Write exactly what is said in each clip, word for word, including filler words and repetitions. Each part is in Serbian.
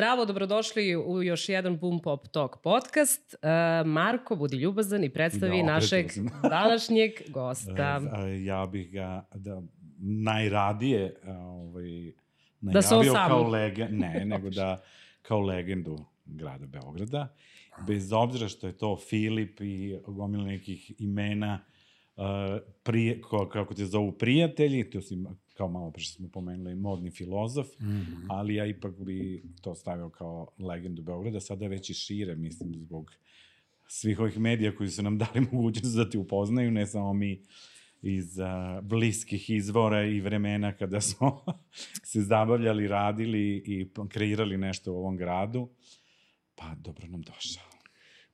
Zdravo, dobrodošli u još jedan Boom Pop Talk podcast. Uh, Marko, budi ljubazan i predstavi no, našeg današnjeg gosta. Ja bih ga da najradije ovaj, najavio da kao legendu, ne, nego da kao legendu grada Beograda. Bez obzira što je to Filip i gomila nekih imena, uh, prije, ko, kako te zovu prijatelji, to si kao malo pre što smo pomenuli, modni filozof, mm-hmm. ali ja ipak bi to stavio kao legendu Beograda, sada već i šire, mislim, zbog svih ovih medija koji su nam dali mogućnost da te upoznaju, ne samo mi iz uh, bliskih izvora i vremena kada smo se zabavljali, radili i kreirali nešto u ovom gradu. Pa, dobro nam došao.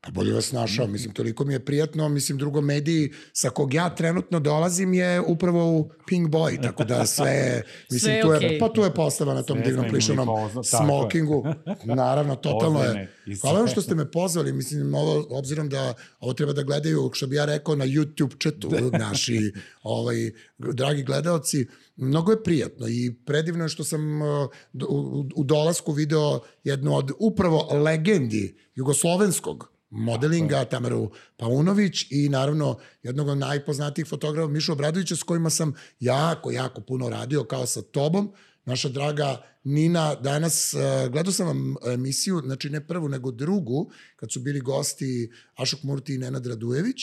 Pa bolje vas našao, mislim, toliko mi je prijatno, mislim, drugo mediji sa kog ja trenutno dolazim je upravo u Pink Boy, tako da sve, mislim, sve tu je, okay. Pa tu je postava na tom sve divnom plišanom smokingu, naravno, totalno je. Hvala vam što ste me pozvali, mislim, ovo, obzirom da ovo treba da gledaju, što bi ja rekao, na YouTube chatu naši ovaj, dragi gledalci, mnogo je prijatno i predivno je što sam uh, u, u dolasku video jednu od upravo legendi jugoslovenskog modelinga, Tamaru Paunović i naravno jednog od najpoznatijih fotografa Mišu Obradovića s kojima sam jako, jako puno radio kao sa tobom. Naša draga Nina, danas uh, gledao sam vam emisiju, znači ne prvu nego drugu, kad su bili gosti Ašok Murti i Nenad Radujević.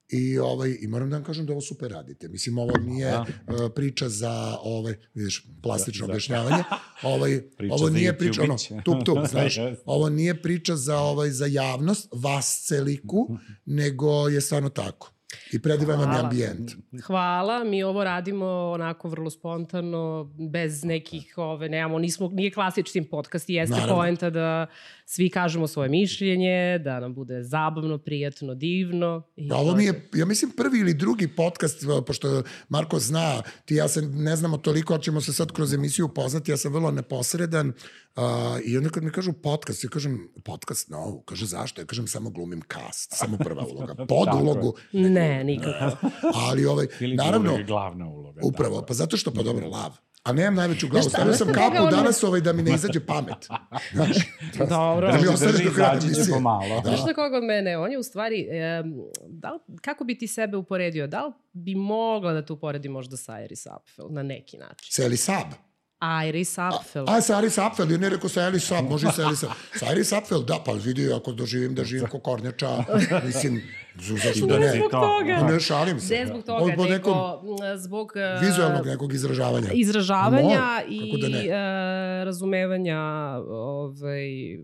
I, ovaj, I moram da vam kažem da ovo super radite. Mislim, ovo nije uh, priča za, ovaj, vidiš, plastično objašnjavanje. Ovaj, ovo nije priča, ono, tup, tup, znaš. Ovo nije priča za, ovaj, za javnost, vas celiku, nego je stvarno tako. I predivan vam je ambijent. Hvala, mi ovo radimo onako vrlo spontano, bez nekih, ove, nemamo, nismo, nije klasični podcast, jeste poenta da svi kažemo svoje mišljenje, da nam bude zabavno, prijatno, divno. I ovo mi je, ja mislim, prvi ili drugi podcast, pošto Marko zna, ti ja se ne znamo toliko, ali ćemo se sad kroz emisiju upoznati, ja sam vrlo neposredan, uh, i onda kad mi kažu podcast, ja kažem, podcast, no, kaže zašto? Ja kažem, samo glumim cast, samo prva uloga, pod ulogu. Ne, nikako. Ali ovaj, naravno, glavna uloga. Upravo, pa zato što, pa dobro, lav. A nemam najveću glavu, stavio sam kapu danas ovaj da mi ne izađe pamet. Znaš, dobro. Da mi ostaneš do kraja emisije. Znaš na koga od mene? On je u stvari, da li, kako bi ti sebe uporedio? Da li bi mogla da te uporedi možda sa Iris Apfel na neki način? Sa Iris Ab? Iris Apfel. A, a sa Iris Apfel, ja ne rekao sa Iris Ab, može i sa Iris Ab. Sa Iris Apfel, da, pa vidi, ako doživim da živim ko Kornjača, mislim, zašto da ne? Ne zbog toga. Ne šalim se. Ne zbog toga, nego nekom, zbog vizualnog nekog izražavanja. Izražavanja Mo, i da uh, razumevanja ovaj,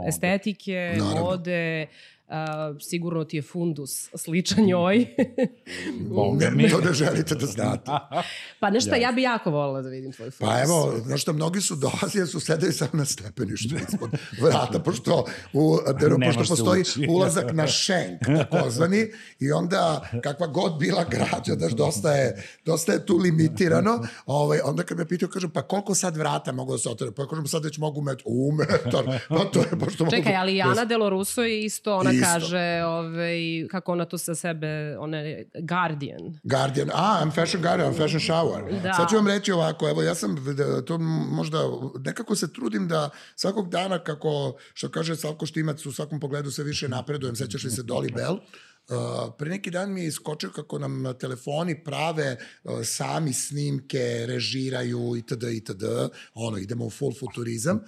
estetike, naravno. Mode. Uh, sigurno ti je fundus sličan njoj. Ne, to da želite da znate. Pa nešto, yes. Ja bi jako volila da vidim tvoj fundus. Pa evo, znaš što, mnogi su dolazili, su sedeli samo na stepeništu ispod vrata, pošto, u, pošto postoji ulazak na šenk, takozvani, i onda kakva god bila građa, daš, dosta je, dosta je tu limitirano, ovaj, onda kad me pitao, kažem, pa koliko sad vrata mogu da se otvore? Pa kažem, sad već mogu metar, u metar, pa to je, pošto čekaj, mogu... ali Ana Delo Russo je isto, ona isto. Kaže, ovaj, kako ona to sa sebe, ona je Guardian. Guardian, a, I'm fashion Guardian, I'm fashion shower. Da. Sad ću vam reći ovako, evo, ja sam, to možda, nekako se trudim da svakog dana, kako, što kaže Slavko Štimac, u svakom pogledu se više napredujem, sećaš li se Dolly Bell? Uh, pre neki dan mi je iskočio kako nam telefoni prave uh, sami snimke, režiraju itd. itd. Ono, idemo u full futurizam.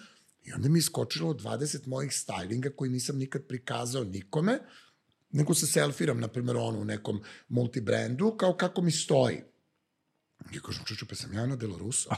I onda mi je iskočilo dvadeset mojih stylinga koji nisam nikad prikazao nikome, nego se selfiram, na primjer, ono, u nekom multibrandu, kao kako mi stoji. I kažem, čuču, pa sam ja Ana Delo Russo.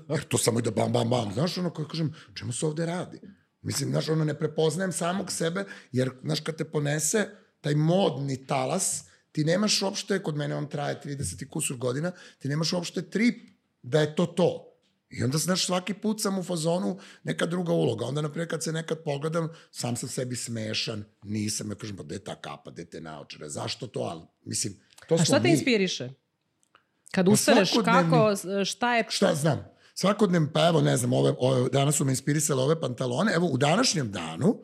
Jer to samo ide bam, bam, bam. Znaš, ono, kao kažem, čemu se ovde radi? Mislim, znaš, ono, ne prepoznajem samog sebe, jer, znaš, kad te ponese taj modni talas, ti nemaš uopšte, kod mene on traje trideset i kusur godina, ti nemaš uopšte trip da je to to. I onda, znaš, svaki put sam u fazonu neka druga uloga. Onda, naprijed, kad se nekad pogledam, sam sam sebi smešan, nisam, ja kažem, pa gde ta kapa, gde te naočare, zašto to, ali, mislim, to smo mi. A šta te inspiriše? Kad ustaneš, kako, šta je... Šta znam? Svakodnevno, pa evo, ne znam, ove, ove, danas su me inspirisale ove pantalone, evo, u današnjem danu,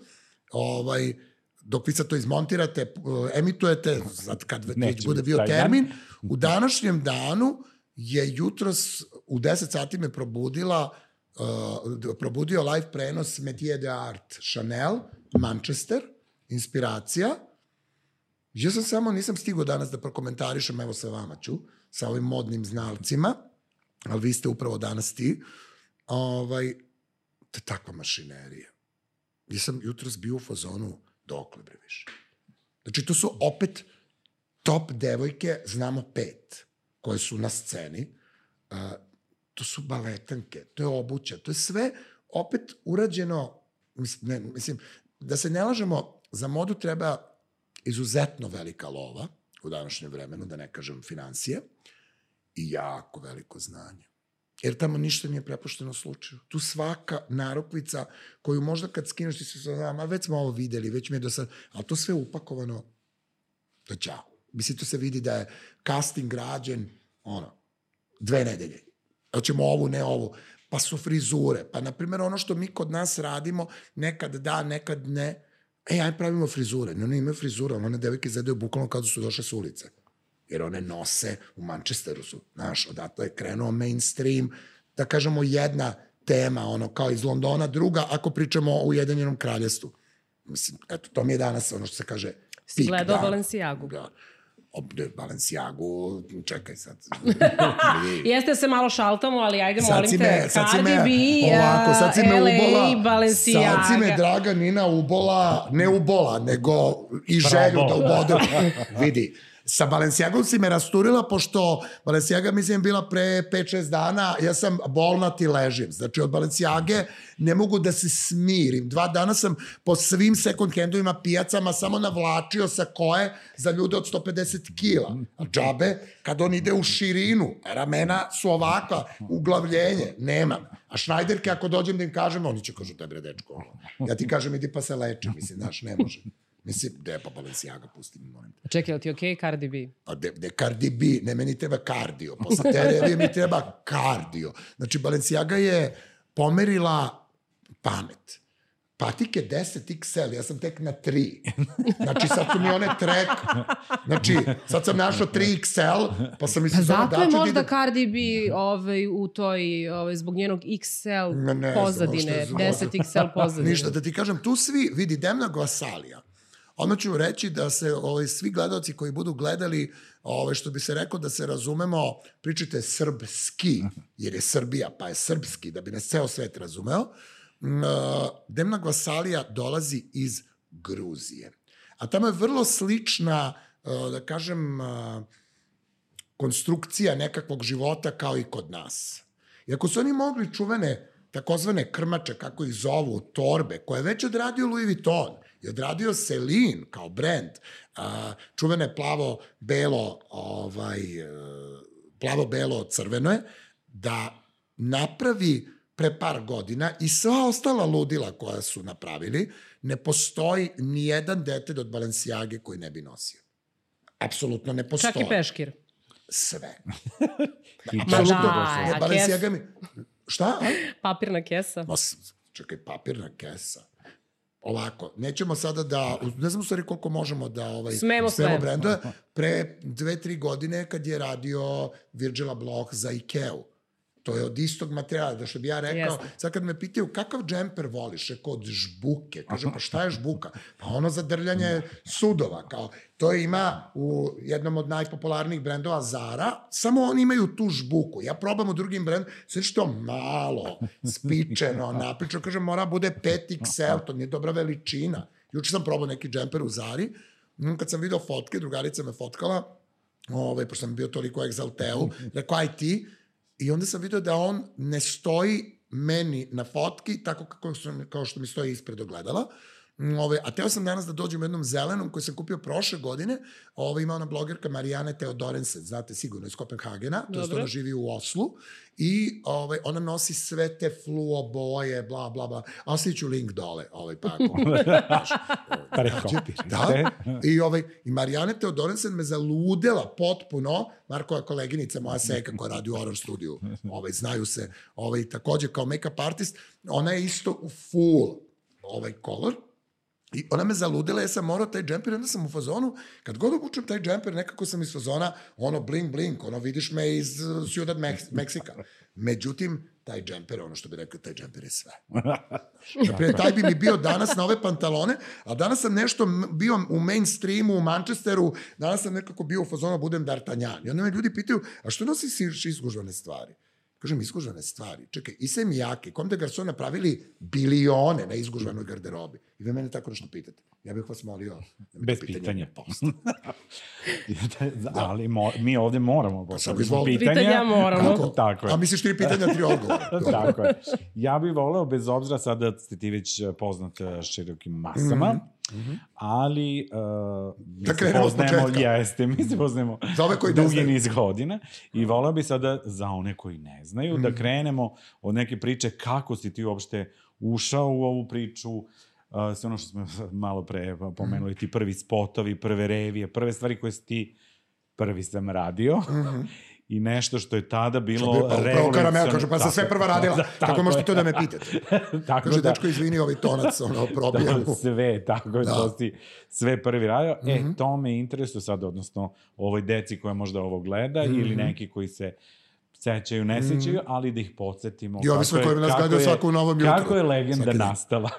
ovaj, dok vi sad to izmontirate, emitujete, sad kad već bude bio termin, u današnjem danu je jutros u deset sati me probudila uh, probudio live prenos Métier d'Art Chanel, Manchester, inspiracija. Ja sam samo, nisam stigao danas da prokomentarišem, evo sa vama ću, sa ovim modnim znalcima, ali vi ste upravo danas ti, ovaj, to je takva mašinerija. Ja sam jutros bio u fazonu dokle bre više. Znači, to su opet top devojke, znamo pet, koje su na sceni. Uh, to su baletanke, to je obuća, to je sve opet urađeno, mislim, ne, mislim, da se ne lažemo, za modu treba izuzetno velika lova u današnjem vremenu, da ne kažem finansije, i jako veliko znanje. Jer tamo ništa nije prepušteno slučaju. Tu svaka narukvica koju možda kad skineš ti se znam, a već smo ovo videli, već mi je do sad, ali to sve upakovano do ćao. Mislim, to se vidi da je casting rađen, ono, dve nedelje. Hoćemo ovu, ne ovu. Pa su frizure. Pa, na primjer, ono što mi kod nas radimo, nekad da, nekad ne. E, aj pravimo frizure. Ne, one imaju frizure, one devojke izgledaju bukvalno kao da su došle s ulice. Jer one nose, u Manchesteru su, znaš, odatle je krenuo mainstream, da kažemo jedna tema, ono, kao iz Londona, druga, ako pričamo o Ujedinjenom kraljevstvu. Mislim, eto, to mi je danas ono što se kaže si gledao da, Balenciagu. Da. Obde Balenciagu, čekaj sad. Jeste se malo šaltamo, ali ajde, sad molim me, te, Cardi B, ovako, sad si me L A, ubola, Balenciaga. Sad si me, draga Nina, ubola, ne ubola, nego i želju da ubode. Vidi, sa Balenciagom si me rasturila, pošto Balenciaga, mislim, bila pre pet šest dana, ja sam bolnat i ležim. Znači, od Balenciage ne mogu da se smirim. Dva dana sam po svim second handovima, pijacama, samo navlačio sa koje za ljude od sto pedeset kila. A džabe, kad on ide u širinu, ramena su ovakva, uglavljenje, nemam. A Schneiderke, ako dođem da im kažem, oni će kažu, tebre, dečko. Ja ti kažem, idi pa se leči, mislim, znaš, ne može. Mislim, gde je pa Balenciaga, pusti mi, molim te. Čekaj, li ti okej okay, Cardi B? A de, de Cardi B, ne, meni treba kardio. Posle te revije mi treba kardio. Znači, Balenciaga je pomerila pamet. Patike deset iks el, ja sam tek na tri. Znači, sad su mi one trek. Znači, sad sam našao tri iks el, pa sam mi se zove daču. Zato je možda Cardi B ovaj, u toj, ovaj, zbog njenog iks el ne, ne pozadine, deset iks el pozadine. Ništa, da ti kažem, tu svi, vidi, Demna Gvasalija. Odmah ću reći da se ovaj, svi gledalci koji budu gledali, ovaj, što bi se rekao da se razumemo, pričajte srpski, jer je Srbija, pa je srpski, da bi nas ceo svet razumeo. Demna Gvasalija dolazi iz Gruzije. A tamo je vrlo slična, da kažem, konstrukcija nekakvog života kao i kod nas. I ako su oni mogli čuvene, takozvane krmače, kako ih zovu, torbe, koje je već odradio Louis Vuitton, i odradio Celine kao brand, čuvene plavo-belo, ovaj, plavo-belo crveno je, da napravi pre par godina i sva ostala ludila koja su napravili, ne postoji ni jedan detalj od Balenciage koji ne bi nosio. Apsolutno ne postoji. Čak i peškir. Sve. Apsolutno. Da, a Balenciaga mi... Šta? A? Papirna kesa. Ma, čekaj, papirna kesa. Ovako, nećemo sada da, ne znam u stvari koliko možemo da ovaj, smemo sve brendove. Pre dve, tri godine kad je radio Virgil Abloh za Ikeu. To je od istog materijala, da što bi ja rekao, yes. Sad kad me pitaju kakav džemper voliš, rekao od žbuke, kažem pa šta je žbuka? Pa ono za drljanje sudova, kao, to ima u jednom od najpopularnijih brendova Zara, samo oni imaju tu žbuku. Ja probam u drugim brendom, sve što malo, spičeno, napričano, kažem mora bude pet iks el, to nije dobra veličina. Juče sam probao neki džemper u Zari, kad sam video fotke, drugarica me fotkala, ovaj, pošto sam bio toliko u Exalteu, rekao aj ti, i onda sam vidio da on ne stoji meni na fotki tako kako sam, kao što mi stoji ispred ogledala. Ove, a teo sam danas da dođem u jednom zelenom koji sam kupio prošle godine. Ove, ima ona blogerka Marijane Teodorensen, znate sigurno iz Kopenhagena, to je ona živi u Oslu. I ove, ona nosi sve te fluo boje, bla, bla, bla. A ostavit ću link dole. Ovaj, pa, da. I, ovaj, I Marijane Teodorensen me zaludela potpuno. Markova koleginica, moja seka koja radi u Horror studiju, ovaj, znaju se, ovaj, takođe kao make-up artist, ona je isto u full ovaj color. I ona me zaludila, ja sam morao taj džemper, onda sam u fazonu, kad god obučem taj džemper, nekako sam iz fazona, ono bling bling, ono vidiš me iz Ciudad Meksika. Međutim, taj džemper, ono što bi rekao, taj džemper je sve. Naprijed, taj bi mi bio danas na ove pantalone, a danas sam nešto bio u mainstreamu, u Manchesteru, danas sam nekako bio u fazonu, budem D'Artagnan. I onda me ljudi pitaju, a što nosiš izgužvane stvari? Kažem, izgužvane stvari. Čekaj, Issey Miyake, Comme des Garçons napravili bilione na izgužvanoj garderobi. I vi mene tako nešto pitate. Ja bih vas molio da mi bez pitanja. Ali mo, mi ovde moramo postaviti pitanja. Pitanja moramo. Tako, tako je. A misliš tri pitanja, tri odgovora. Tako je. Ja bih voleo, bez obzira sada ste ti već poznat širokim masama, mm -hmm. ali uh, mi da se poznajemo, jeste, mi se poznajemo dugi niz godina i voleo bih sada za one koji ne znaju mm -hmm. da krenemo od neke priče kako si ti uopšte ušao u ovu priču, uh, sve ono što smo malo pre pomenuli, mm -hmm. ti prvi spotovi, prve revije, prve stvari koje si ti prvi sam radio. Mm -hmm. I nešto što je tada bilo revolucionarno. Upravo Karamela kaže, pa sam sve prva radila. Da, tako, tako možete to da me pitate. Kaže, da, dečko, izvini, ovaj tonac, ono, probijam. Da, sve, tako je, da. To si sve prvi radio. Mm -hmm. E, to me interesuje sad, odnosno, ovoj deci koja možda ovo gleda, mm -hmm. ili neki koji se sećaju, ne sećaju, mm. ali da ih podsjetimo. I ovi sve koji nas gledaju svaku u novom jutru. Kako je legenda nastala?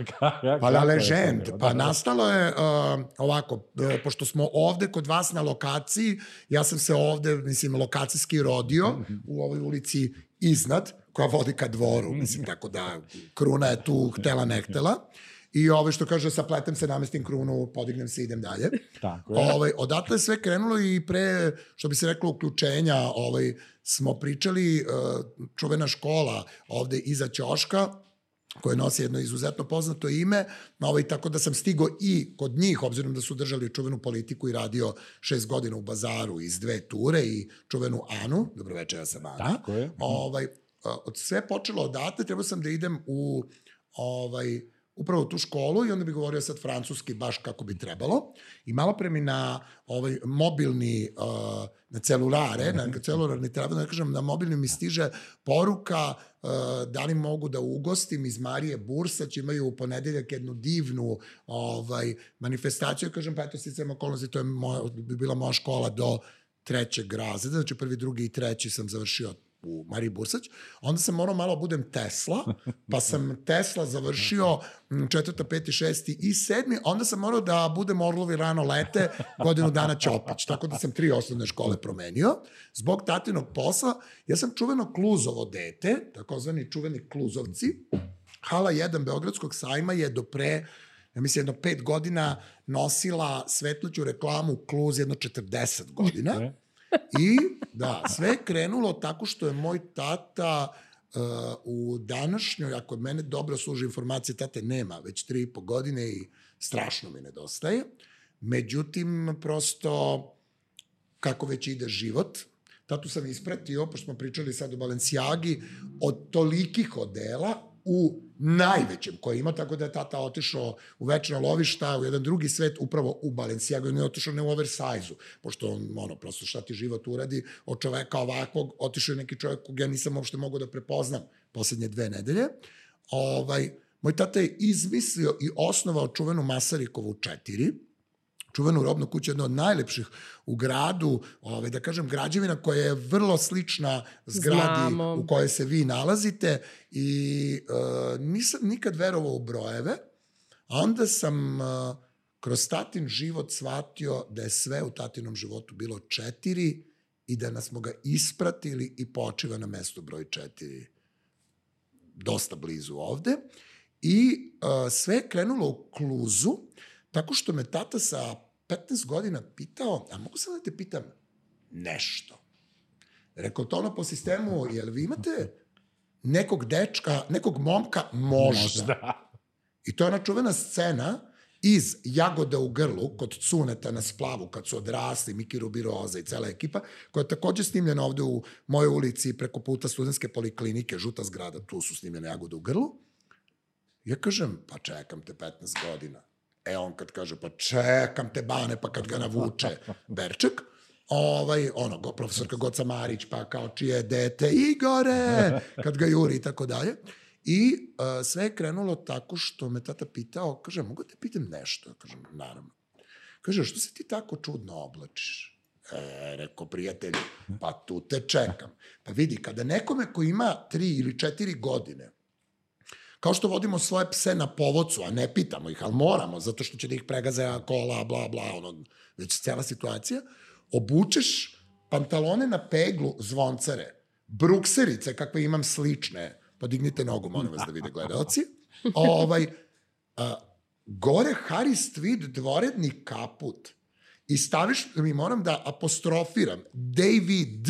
Pa la legend, pa nastalo je uh, ovako, uh, pošto smo ovde kod vas na lokaciji, ja sam se ovde, mislim, lokacijski rodio mm -hmm. u ovoj ulici iznad, koja vodi ka dvoru, mm -hmm. mislim, tako da kruna je tu htela, ne htela. I ove što kaže, sapletem se, namestim krunu, podignem se i idem dalje. Tako je. Ove, odatle je sve krenulo i pre, što bi se reklo, uključenja, ovaj, smo pričali, uh, čuvena škola ovde iza ćoška, koja nosi jedno izuzetno poznato ime, ovaj, tako da sam stigo i kod njih, obzirom da su držali čuvenu politiku i radio šest godina u Bazaru iz dve ture i čuvenu Anu, dobroveče, ja sam Ana. Tako je. Ovaj, od sve počelo odatle, trebao sam da idem u ovaj, upravo tu školu i onda bi govorio sad francuski baš kako bi trebalo. I malo pre mi na ovaj mobilni, uh, na celulare, na celularni telefon, da kažem, na mobilni mi stiže poruka uh, da li mogu da ugostim iz Marije Bursać, imaju u ponedeljak jednu divnu ovaj, manifestaciju. Kažem, pa eto, sticam okolnosti, to je moja, bi bila moja škola do trećeg razreda, znači prvi, drugi i treći sam završio u Mariji Bursać, onda sam morao malo budem Tesla, pa sam Tesla završio četvrta, peti, šesti i sedmi, onda sam morao da budem Orlovi rano lete, godinu dana Ćopić, tako da sam tri osnovne škole promenio. Zbog tatinog posla, ja sam čuveno Kluzovo dete, takozvani čuveni Kluzovci. Hala jedan Beogradskog sajma je do pre, ja mislim, jedno pet godina nosila svetluću reklamu Kluz jedno četrdeset godina. I da, sve je krenulo tako što je moj tata uh, u današnjoj, ako mene dobro služi informacije, tate nema već tri i po godine i strašno mi nedostaje. Međutim, prosto, kako već ide život, tatu sam ispratio, pošto smo pričali sad o Balenciagi, od tolikih odela u najvećem koje ima, tako da je tata otišao u večna lovišta, u jedan drugi svet, upravo u Balenciagu, i ne otišao ne u oversize-u, pošto on, ono, prosto šta ti život uradi, od čoveka ovakvog, otišao je neki čovjek kog ja nisam uopšte mogao da prepoznam poslednje dve nedelje. Ovaj, moj tata je izmislio i osnovao čuvenu Masarikovu četiri, čuvenu robnu kuću, jedna od najlepših u gradu, ovaj, da kažem, građevina koja je vrlo slična zgradi Znamo. u kojoj se vi nalazite i uh, nisam nikad verovao u brojeve, a onda sam uh, kroz tatin život shvatio da je sve u tatinom životu bilo četiri i da smo ga ispratili i počiva na mestu broj četiri dosta blizu ovde. I uh, sve je krenulo u Kluzu, tako što me tata sa petnaest godina pitao, a mogu sam da te pitam nešto? Rekao to ono po sistemu, jel vi imate nekog dečka, nekog momka? Možda. Možda. I to je ona čuvena scena iz Jagode u grlu, kod Cuneta na Splavu, kad su odrasli, Miki Rubiroza i cela ekipa, koja je takođe snimljena ovde u mojoj ulici preko puta Studentske poliklinike, žuta zgrada, tu su snimljene Jagode u grlu. Ja kažem, pa čekam te petnaest godina. E on kad kaže, pa čekam te bane, pa kad ga navuče Berček, ovaj, ono, profesorka Goca Marić, pa kao čije dete, Igore, kad ga juri i tako dalje. I uh, sve je krenulo tako što me tata pitao, kaže, mogu te pitam nešto? Kažem, naravno. Kaže, što se ti tako čudno oblačiš? E, rekao, prijatelju, pa tu te čekam. Pa vidi, kada nekome ko ima tri ili četiri godine, kao što vodimo svoje pse na povodcu, a ne pitamo ih, ali moramo, zato što će da ih pregaze kola, bla, bla, ono, već cijela situacija, obučeš pantalone na peglu zvoncare, brukserice, kakve imam slične, podignite nogu, molim vas da vide gledalci, ovaj, a, gore Harris Tweed dvoredni kaput i staviš, mi moram da apostrofiram, David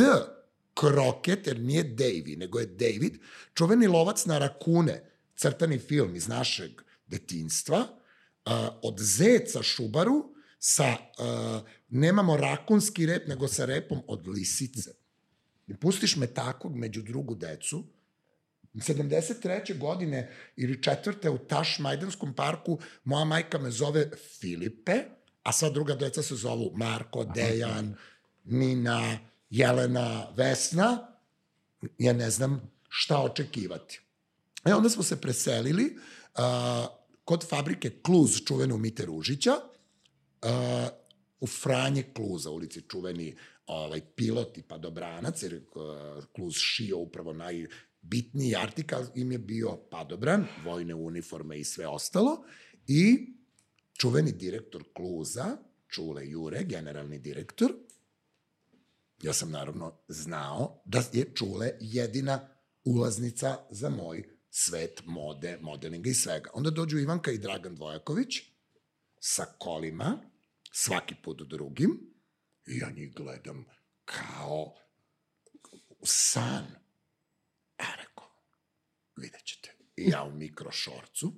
Crockett, jer nije Davy, nego je David, čuveni lovac na rakune, crtani film iz našeg detinjstva, uh, od zeca Šubaru, sa, uh, nemamo rakunski rep, nego sa repom od lisice. I pustiš me takvog među drugu decu, sedamdeset treće godine ili četvrte u Tašmajdanskom parku, moja majka me zove Filipe, a sva druga deca se zovu Marko, Dejan, Nina, Jelena, Vesna, ja ne znam šta očekivati. E, onda smo se preselili uh, kod fabrike Kluz, čuvenu Mite Ružića, uh, u Franje Kluza, ulici čuveni ovaj, pilot i padobranac, jer uh, Kluz šio upravo najbitniji artikal, im je bio padobran, vojne uniforme i sve ostalo, i čuveni direktor Kluza, Čule Jure, generalni direktor, ja sam naravno znao da je Čule jedina ulaznica za moj svet mode, modelinga i svega. Onda dođu Ivanka i Dragan Dvojaković sa kolima, svaki put drugim, i ja njih gledam kao san. Ja rekao, vidjet ćete. I ja u mikrošorcu,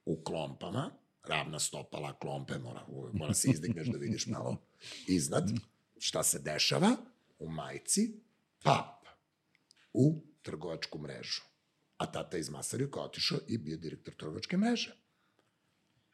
u klompama, ravna stopala, klompe, mora, mora se izdigneš da vidiš malo iznad šta se dešava, u majici, pap, u trgovačku mrežu. A tata iz Masarjuka otišao i bio direktor trgovačke mreže.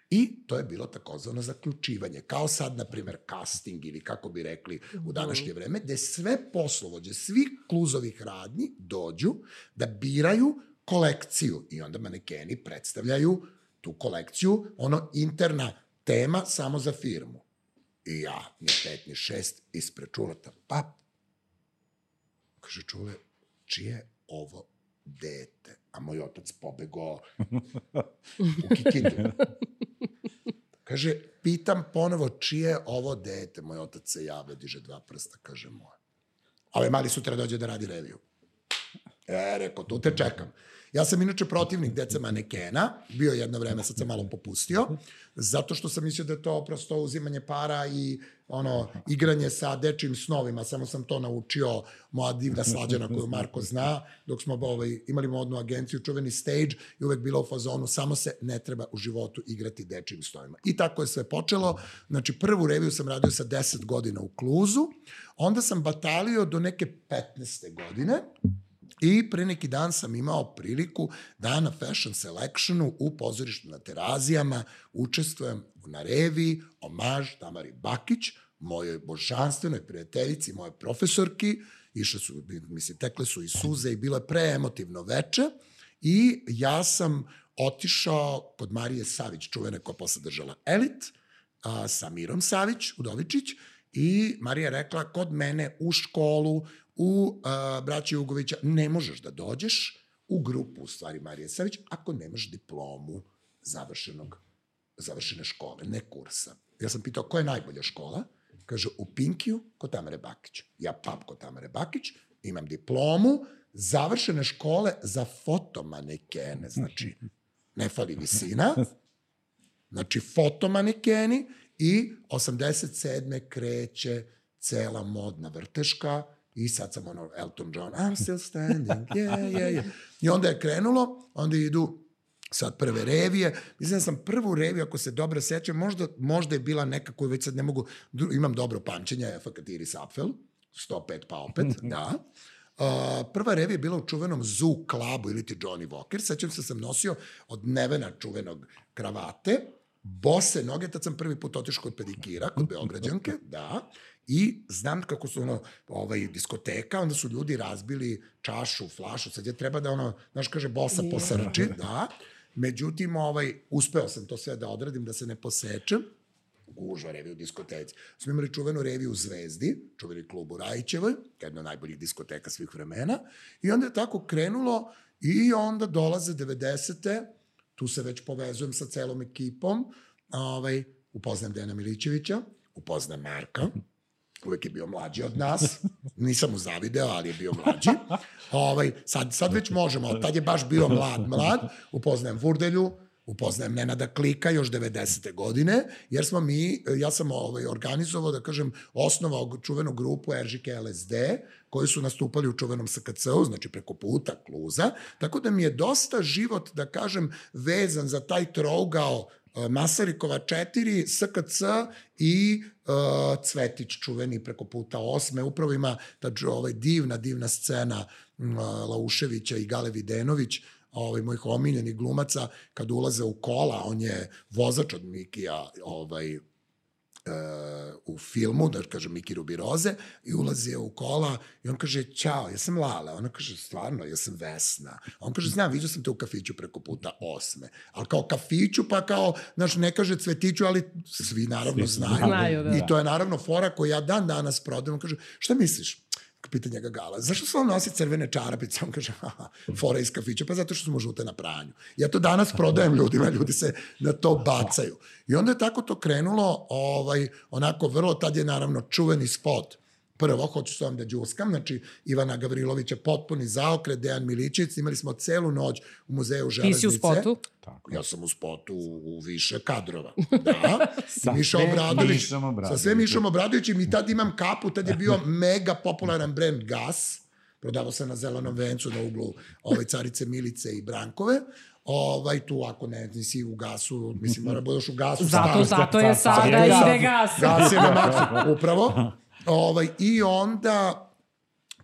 I to je bilo takozvano zaključivanje. Kao sad, na primer, casting ili kako bi rekli u današnje vreme, gde sve poslovođe, svih Kluzovih radnji dođu da biraju kolekciju i onda manekeni predstavljaju tu kolekciju, ono interna tema samo za firmu. I ja, ni pet, ni šest, ispred Čuleta, pap, kaže Čule, čije ovo dete? A moj otac pobegao u Kikindu. Kaže, pitam ponovo čije ovo dete? Moj otac se javlja, diže dva prsta, kaže moje. A ovaj mali sutra dođe da radi reviju. E, rekao, tu te čekam. Ja sam inače protivnik deca manekena, bio jedno vreme, sad sam malo popustio, zato što sam mislio da je to prosto uzimanje para i ono, igranje sa dečijim snovima, samo sam to naučio moja divna Slađana koju Marko zna, dok smo ovaj, imali modnu agenciju, čuveni Stage, i uvek bilo u fazonu, samo se ne treba u životu igrati dečijim snovima. I tako je sve počelo. Znači, prvu reviju sam radio sa deset godina u Kluzu, onda sam batalio do neke petnaeste godine, i pre neki dan sam imao priliku da na Fashion Selectionu u pozorištu na Terazijama učestvujem na reviji Omaž Tamari Bakić, mojoj božanstvenoj prijateljici, moje profesorki. Išle su, mislim, tekle su i suze i bilo je preemotivno veče. I ja sam otišao kod Marije Savić, čuvene koja posle držala Elit, a, sa Mirom Savić, Udovičić, i Marija je rekla, kod mene u školu, u uh, braći Jugovića, ne možeš da dođeš u grupu, u stvari, Marije Savić, ako nemaš diplomu završenog, završene škole, ne kursa. Ja sam pitao, koja je najbolja škola? Kaže, u Pinkiju, kod Tamare Bakić. Ja pap kod Tamare Bakić, imam diplomu završene škole za fotomanekene, znači, ne fali visina, znači, fotomanekeni, i osamdeset sedme kreće cela modna vrteška, i sad sam ono, Elton John, I'm still standing, yeah, yeah, yeah. I onda je krenulo, onda idu sad prve revije. Mislim da sam prvu reviju, ako se dobro sećam, možda, možda je bila neka koju već sad ne mogu, imam dobro pamćenje, F K Iris Apfel, sto pet pa opet, da. Uh, prva revija je bila u čuvenom Zoo Clubu ili ti Johnny Walker. Sećam se, sam nosio od Nevena čuvenog kravate, bose noge, tad sam prvi put otišao kod pedikira, kod Beograđanke, da, i znam kako su ono, ovaj, diskoteka, onda su ljudi razbili čašu, flašu, sad je treba da ono, znaš, kaže, bosa posrči, da, međutim, ovaj, uspeo sam to sve da odradim, da se ne posečem, gužva revija u diskoteci. Smo imali čuvenu reviju u Zvezdi, čuveni klub u Rajićevoj, jedna od najboljih diskoteka svih vremena, i onda je tako krenulo i onda dolaze devedesete, tu se već povezujem sa celom ekipom, ovaj, upoznam Dejana Milićevića, upoznam Marka, uvek je bio mlađi od nas, nisam mu zavideo, ali je bio mlađi. Ovaj, sad, sad već možemo, tad je baš bio mlad, mlad, upoznajem Vurdelju, upoznajem Nenada Klika još devedesete godine, jer smo mi, ja sam ovaj, organizovao, da kažem, osnovao čuvenu grupu R Ž K L S D, koji su nastupali u čuvenom S K C-u, znači preko puta, Kluza, tako da mi je dosta život, da kažem, vezan za taj trougao Masarikova četiri, S K C i uh, Cvetić čuveni preko puta osme. Upravo ima ta ovaj, divna, divna scena uh, Lauševića i Gale Videnović, ovaj, mojih omiljenih glumaca, kad ulaze u kola, on je vozač od Mikija ovaj, uh, u filmu, da kažem Miki Rubiroze, i ulazi u kola i on kaže, ćao, ja sam Lala. Ona kaže, stvarno, ja sam Vesna. On kaže, znam, vidio sam te u kafiću preko puta osme. Ali kao kafiću, pa kao, znaš, ne kaže Cvetiću, ali svi naravno znaju. znaju da. I to je naravno fora koju ja dan danas prodajem. On kaže, šta misliš? Pita njega Gala, zašto se on nosi crvene čarapice? On kaže, aha, fora iz kafića, pa zato što su mu žute na pranju. Ja to danas prodajem ljudima, ljudi se na to bacaju. I onda je tako to krenulo, ovaj, onako vrlo, tad je naravno čuveni spot. Prvo, hoću s vam da džuskam, znači Ivana Gavrilovića potpuni zaokret, Dejan Milićević, imali smo celu noć u muzeju Železnice. Ti si u spotu? Tako. Ja sam u spotu u više kadrova. Da. sa Miša Obradović. Sa sve Mišom Obradovićem i tad imam kapu, tad je bio mega popularan brend Gas. Prodavao se na Zelenom vencu na uglu ovaj, Carice Milice i Brankove. Ovaj, tu ako ne, nisi u Gasu, mislim, mora budeš u Gasu. Zato, zato je sada ide Gas. Gas je na maksu, upravo. Ovaj, I onda,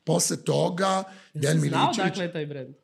posle toga, Dejan Milićević... Znao dakle je taj brend?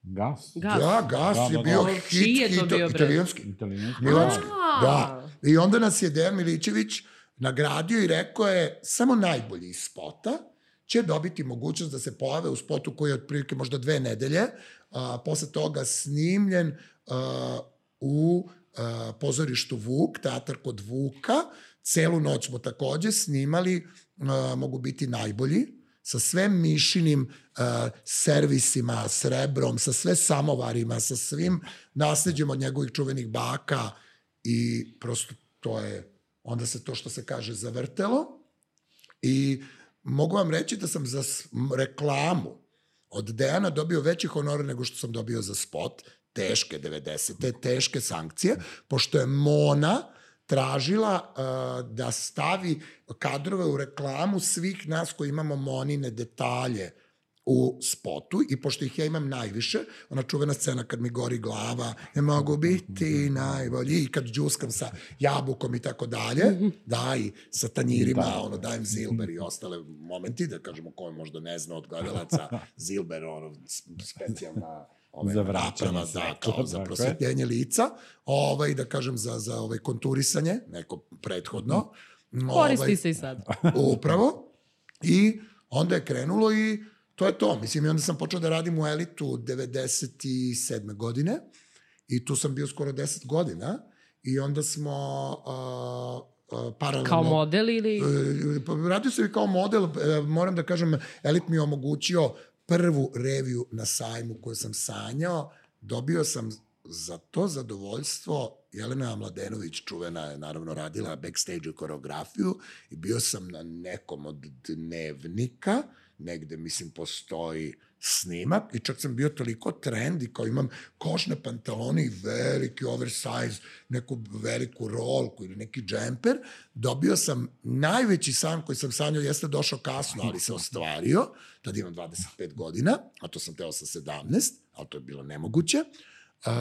Gas. Gas. Da, Gas da, je da, bio da. hit. Čiji je to bio italijanski. Italijanski. Milanski. Da. I onda nas je Dejan Milićević nagradio i rekao je, samo najbolji iz spota će dobiti mogućnost da se pojave u spotu koji je otprilike možda dve nedelje, a, posle toga snimljen a, u a, pozorištu Vuk, teatar kod Vuka. Celu noć smo takođe snimali, a, mogu biti najbolji, sa sve Mišinim uh, servisima, srebrom, sa sve samovarima, sa svim nasleđem od njegovih čuvenih baka i prosto to je, onda se to što se kaže zavrtelo i mogu vam reći da sam za reklamu od Dejana dobio veći honor nego što sam dobio za spot, teške devedesete, teške sankcije, pošto je Mona tražila uh, da stavi kadrove u reklamu svih nas koji imamo Monine detalje u spotu i pošto ih ja imam najviše, ona čuvena scena kad mi gori glava, ne mogu biti najbolji, i kad džuskam sa jabukom i tako dalje, da, i sa tanjirima, da. ono, dajem Zilber i ostale momenti, da kažemo ko je možda ne zna od gledalaca, Zilber, ono, specijalna Ove, za vraćanje da, kao za prosvetljenje lica, ovaj, da kažem za, za ovaj konturisanje, neko prethodno. Koristi ovaj, se i sad. Upravo. I onda je krenulo i to je to. Mislim, i onda sam počeo da radim u Elitu devedeset sedme godine i tu sam bio skoro deset godina i onda smo uh, uh, paralelno... Kao model ili... Uh, radio sam i kao model, uh, moram da kažem, Elit mi je omogućio prvu reviju na sajmu koju sam sanjao, dobio sam za to zadovoljstvo, Jelena Mladenović, čuvena je naravno radila backstage koreografiju i bio sam na nekom od dnevnika, negde mislim postoji snimak i čak sam bio toliko trendi kao imam košne pantalone i veliki oversize, neku veliku rolku ili neki džemper, dobio sam najveći san koji sam sanjao, jeste došao kasno, ali se ostvario, tad imam dvadeset pet godina, a to sam teo sa sedamnaest, ali to je bilo nemoguće. Uh,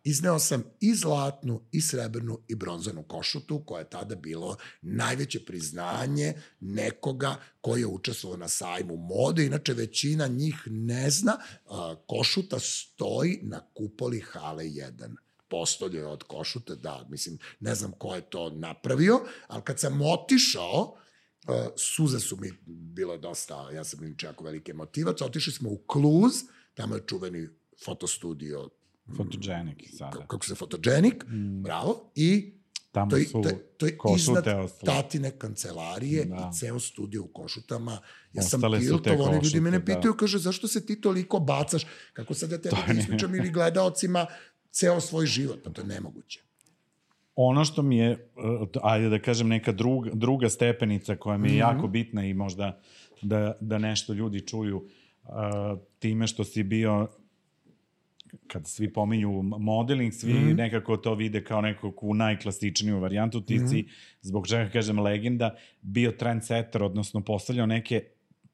izneo sam i zlatnu, i srebrnu, i bronzanu košutu, koja je tada bilo najveće priznanje nekoga koji je učestvovao na sajmu mode. Inače, većina njih ne zna, uh, košuta stoji na kupoli hale jedan. Postolje od košute, da, mislim, ne znam ko je to napravio, ali kad sam otišao, uh, suze su mi bilo dosta, ja sam inače jako veliki emotivac, otišli smo u Kluz, tamo je čuveni fotostudio Photogenic sada. Kako se Photogenic, mm. bravo. I Tamo to je, su to je, to je Košute iznad ostale. tatine kancelarije da. i ceo studio u Košutama. Ja Ostale sam tiltov, oni ljudi mene pitaju, kaže, zašto se ti toliko bacaš? Kako sad ja tebi da ispričam ili gledaocima ceo svoj život? Pa to je nemoguće. Ono što mi je, ajde da kažem, neka druga, druga stepenica koja mi je mm-hmm. jako bitna i možda da, da nešto ljudi čuju, uh, time što si bio, kad svi pominju modeling, svi mm-hmm. nekako to vide kao nekakvu najklasičniju varijantu, ti mm-hmm. si, zbog čega kažem legenda, bio trendsetter, odnosno postavljao neke,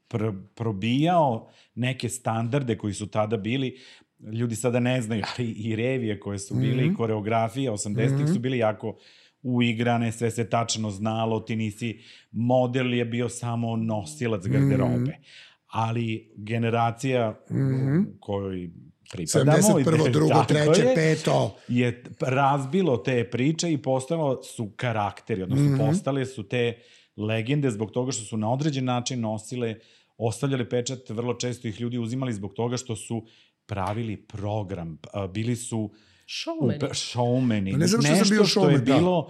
pr- probijao neke standarde koji su tada bili. Ljudi sada ne znaju, ali i revije koje su bile mm-hmm. i koreografije osamdesetih mm-hmm. su bili jako uigrane, sve se tačno znalo, ti nisi, model je bio samo nosilac garderobe. Mm-hmm. Ali generacija mm-hmm. kojoj pripadamo, sedamdeset prvo, drugo, treće, peto je razbilo te priče i postalo su karakteri, odnosno mm-hmm. postale su te legende zbog toga što su na određen način nosile, ostavljali pečat, vrlo često ih ljudi uzimali zbog toga što su pravili program, bili su showmeni. showmeni. Ne znam što nešto sam bio što showman, je da. bilo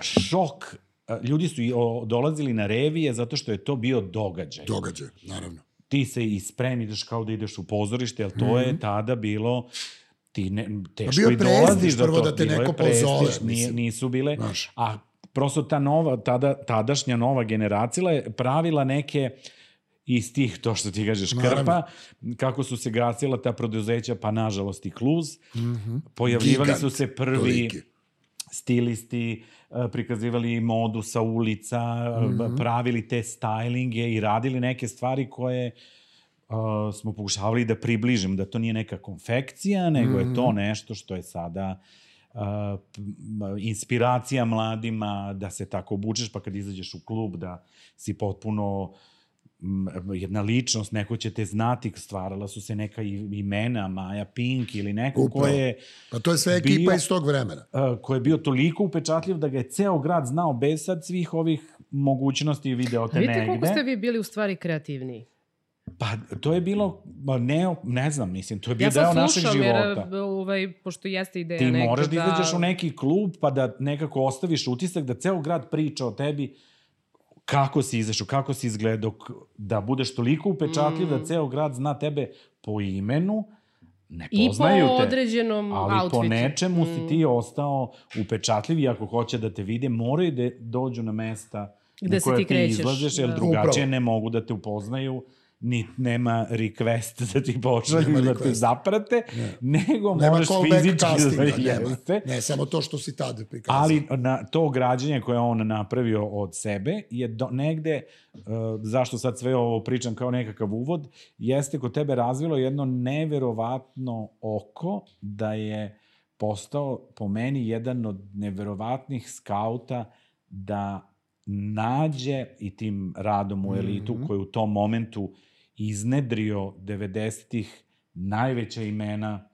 šok. Ljudi su dolazili na revije zato što je to bio događaj. Događaj, naravno. Ti se i spremiš kao da ideš u pozorište, jer to mm-hmm. je tada bilo, ti ne, teško i dolaziš do to. Da te neko pozove. Nije, nisu bile, Znaš. a prosto ta nova, tada, tadašnja nova generacija je pravila neke iz tih, to što ti kažeš, krpa, Naravno. kako su se gasila ta preduzeća, pa nažalost i Kluz. Mm-hmm. Pojavljivali Gigant, su se prvi toliki. stilisti, prikazivali modu sa ulica, mm-hmm. pravili te stylinge i radili neke stvari koje uh, smo pokušavali da približimo, da to nije neka konfekcija, nego mm-hmm. je to nešto što je sada uh, inspiracija mladima, da se tako obučeš, pa kad izađeš u klub da si potpuno jedna ličnost, neko će te znati, stvarala su se neka imena, Maja Pink ili neko Upravo. ko je... Pa to je sve ekipa bio, iz tog vremena. Uh, ko je bio toliko upečatljiv da ga je ceo grad znao bez sad svih ovih mogućnosti i videote negde. Vidite koliko ste vi bili u stvari kreativniji? Pa to je bilo, ne, ne znam, mislim, to je bio deo našeg života. Ja sad slušam, jer ovaj, pošto jeste ideja Ti neka da... Ti moraš da izađeš u neki klub pa da nekako ostaviš utisak da ceo grad priča o tebi, kako si izašao, kako si izgledao, da budeš toliko upečatljiv mm. da ceo grad zna tebe po imenu, ne poznaju te. I po određenom ali outfitu. Ali po nečemu mm. si ti ostao upečatljiv i ako hoće da te vide, moraju da dođu na mesta gde na koje ti, ti krećeš, izlaziš, jer da. drugačije Upravo. ne mogu da te upoznaju, ni nema request da ti pošalju da te zaprate, ne. nego nema moraš fizički da jeste. Ne, samo to što si tada prikazao. Ali na, to građenje koje on napravio od sebe je do, negde, uh, zašto sad sve ovo pričam kao nekakav uvod, jeste kod tebe razvilo jedno neverovatno oko da je postao po meni jedan od neverovatnih skauta da nađe i tim radom u elitu mm-hmm. koji u tom momentu iznedrio devedesetih najveća imena,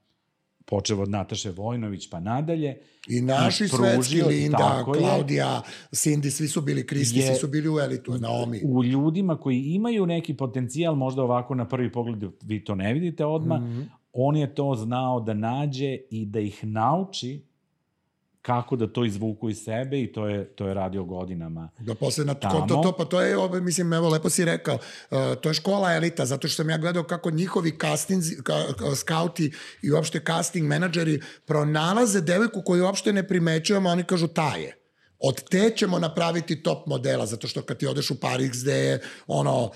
počeo od Nataše Vojnović pa nadalje. I naši i svetski, Linda, Klaudija, Cindy, svi su bili, Kristi, svi su bili u elitu, Naomi. U ljudima koji imaju neki potencijal, možda ovako na prvi pogled vi to ne vidite odmah, mm-hmm. on je to znao da nađe i da ih nauči kako da to izvuku iz sebe i to je, to je radio godinama. Da posle na to, to, pa to je, mislim, evo, lepo si rekao, uh, to je škola elita, zato što sam ja gledao kako njihovi casting, ka, ka, skauti i uopšte casting menadžeri pronalaze devojku koju uopšte ne primećujemo, oni kažu ta je. Od te ćemo napraviti top modela, zato što kad ti odeš u Paris gde je ono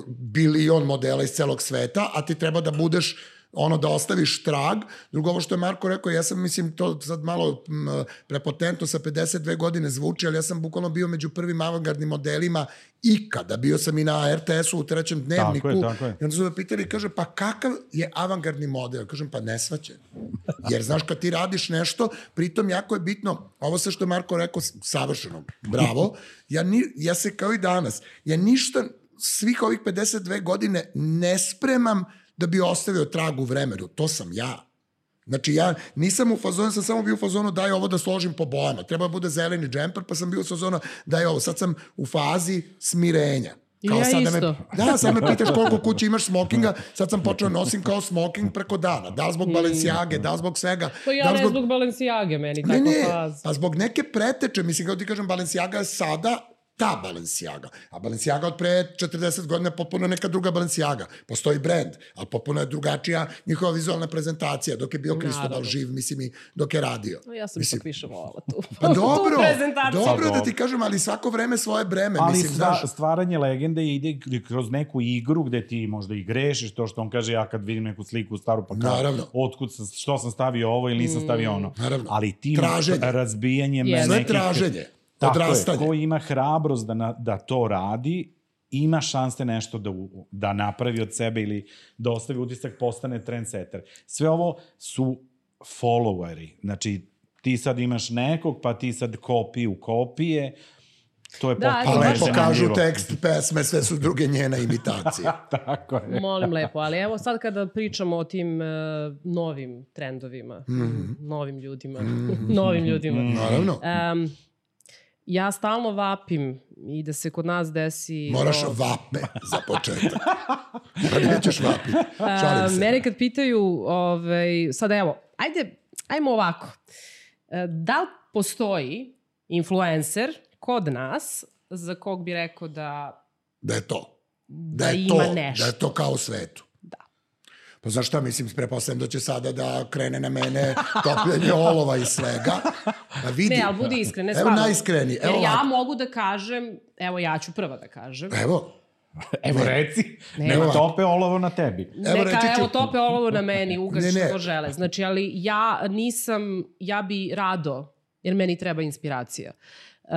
bilion modela iz celog sveta, a ti treba da budeš ono da ostaviš trag. Drugo, ovo što je Marko rekao, ja sam, mislim, to sad malo m, prepotentno sa pedeset dve godine zvuči, ali ja sam bukvalno bio među prvim avangardnim modelima ikada. Bio sam i na er te esu u trećem dnevniku. Tako je, tako je. I onda su me pitali, kaže, pa kakav je avangardni model? Kažem, pa nesvaćen. Jer, znaš, kad ti radiš nešto, pritom jako je bitno, ovo sve što je Marko rekao, savršeno, bravo, ja, ni, ja se kao i danas, ja ništa svih ovih pedeset dve godine ne spremam da bi ostavio trag u vremenu. To sam ja. Znači, ja nisam u fazonu, sam samo bio u fazonu daj ovo da složim po bojama. Treba da bude zeleni džemper, pa sam bio u fazonu daj ovo. Sad sam u fazi smirenja. Kao ja sad isto. Da, me, da, sad me pitaš koliko kući imaš smokinga, sad sam počeo nosim kao smoking preko dana. Da li zbog Balenciage, da li zbog svega. To ja da ne zbog, zbog Balenciage, meni ne, tako ne, faz. a zbog neke preteče, mislim, kao ti kažem, Balenciaga je sada ta Balenciaga. A Balenciaga od pre četrdeset godina je potpuno neka druga Balenciaga. Postoji brand, ali potpuno je drugačija njihova vizualna prezentacija. Dok je bio Kristobal živ, mislim, i dok je radio. No, ja sam mislim, ipak više volala tu, pa dobro, tu prezentaciju. Dobro da ti kažem, ali svako vreme svoje breme. Ali mislim, stva, stvaranje legende ide kroz neku igru gde ti možda i grešiš, to što on kaže, ja kad vidim neku sliku staru, pa kao, otkud sam, što sam stavio ovo ili nisam stavio ono. Naravno. Ali tim traženje. razbijanjem yes. nekih... Sve traženje. Tako je, ko ima hrabrost da, na, da to radi, ima šanse nešto da, da napravi od sebe ili da ostavi utisak, postane trendsetter. Sve ovo su followeri. Znači, ti sad imaš nekog, pa ti sad kopiju kopije, to je da, pa lepo kažu tekst pesme, sve su druge njena imitacije. Tako je. Molim lepo, ali evo sad kada pričamo o tim uh, novim trendovima, mm-hmm. novim ljudima, mm-hmm. novim ljudima. Mm-hmm. Naravno. Um, ja stalno vapim i da se kod nas desi... Moraš o... vape za početak. Pa nećeš vapiti. Šalim se. Mene kad pitaju, ovaj, sad evo, ajde, ajmo ovako. Da li postoji influencer kod nas za kog bi rekao da... Da je to. Da, da je ima to, nešto. Da je to kao u svetu. Da. Pa znaš šta, mislim, prepostavljam da će sada da krene na mene topljenje olova i svega. Pa vidi. Ne, ali budi iskren. Ne, evo najiskreniji. Jer ja mogu da kažem, evo ja ću prva da kažem. Evo. Evo reci, nema tope olovo na tebi. Neka, evo, ću... evo tope olovo na meni, ugaš ne, ne. što žele. Znači, ali ja nisam, ja bi rado, jer meni treba inspiracija, uh,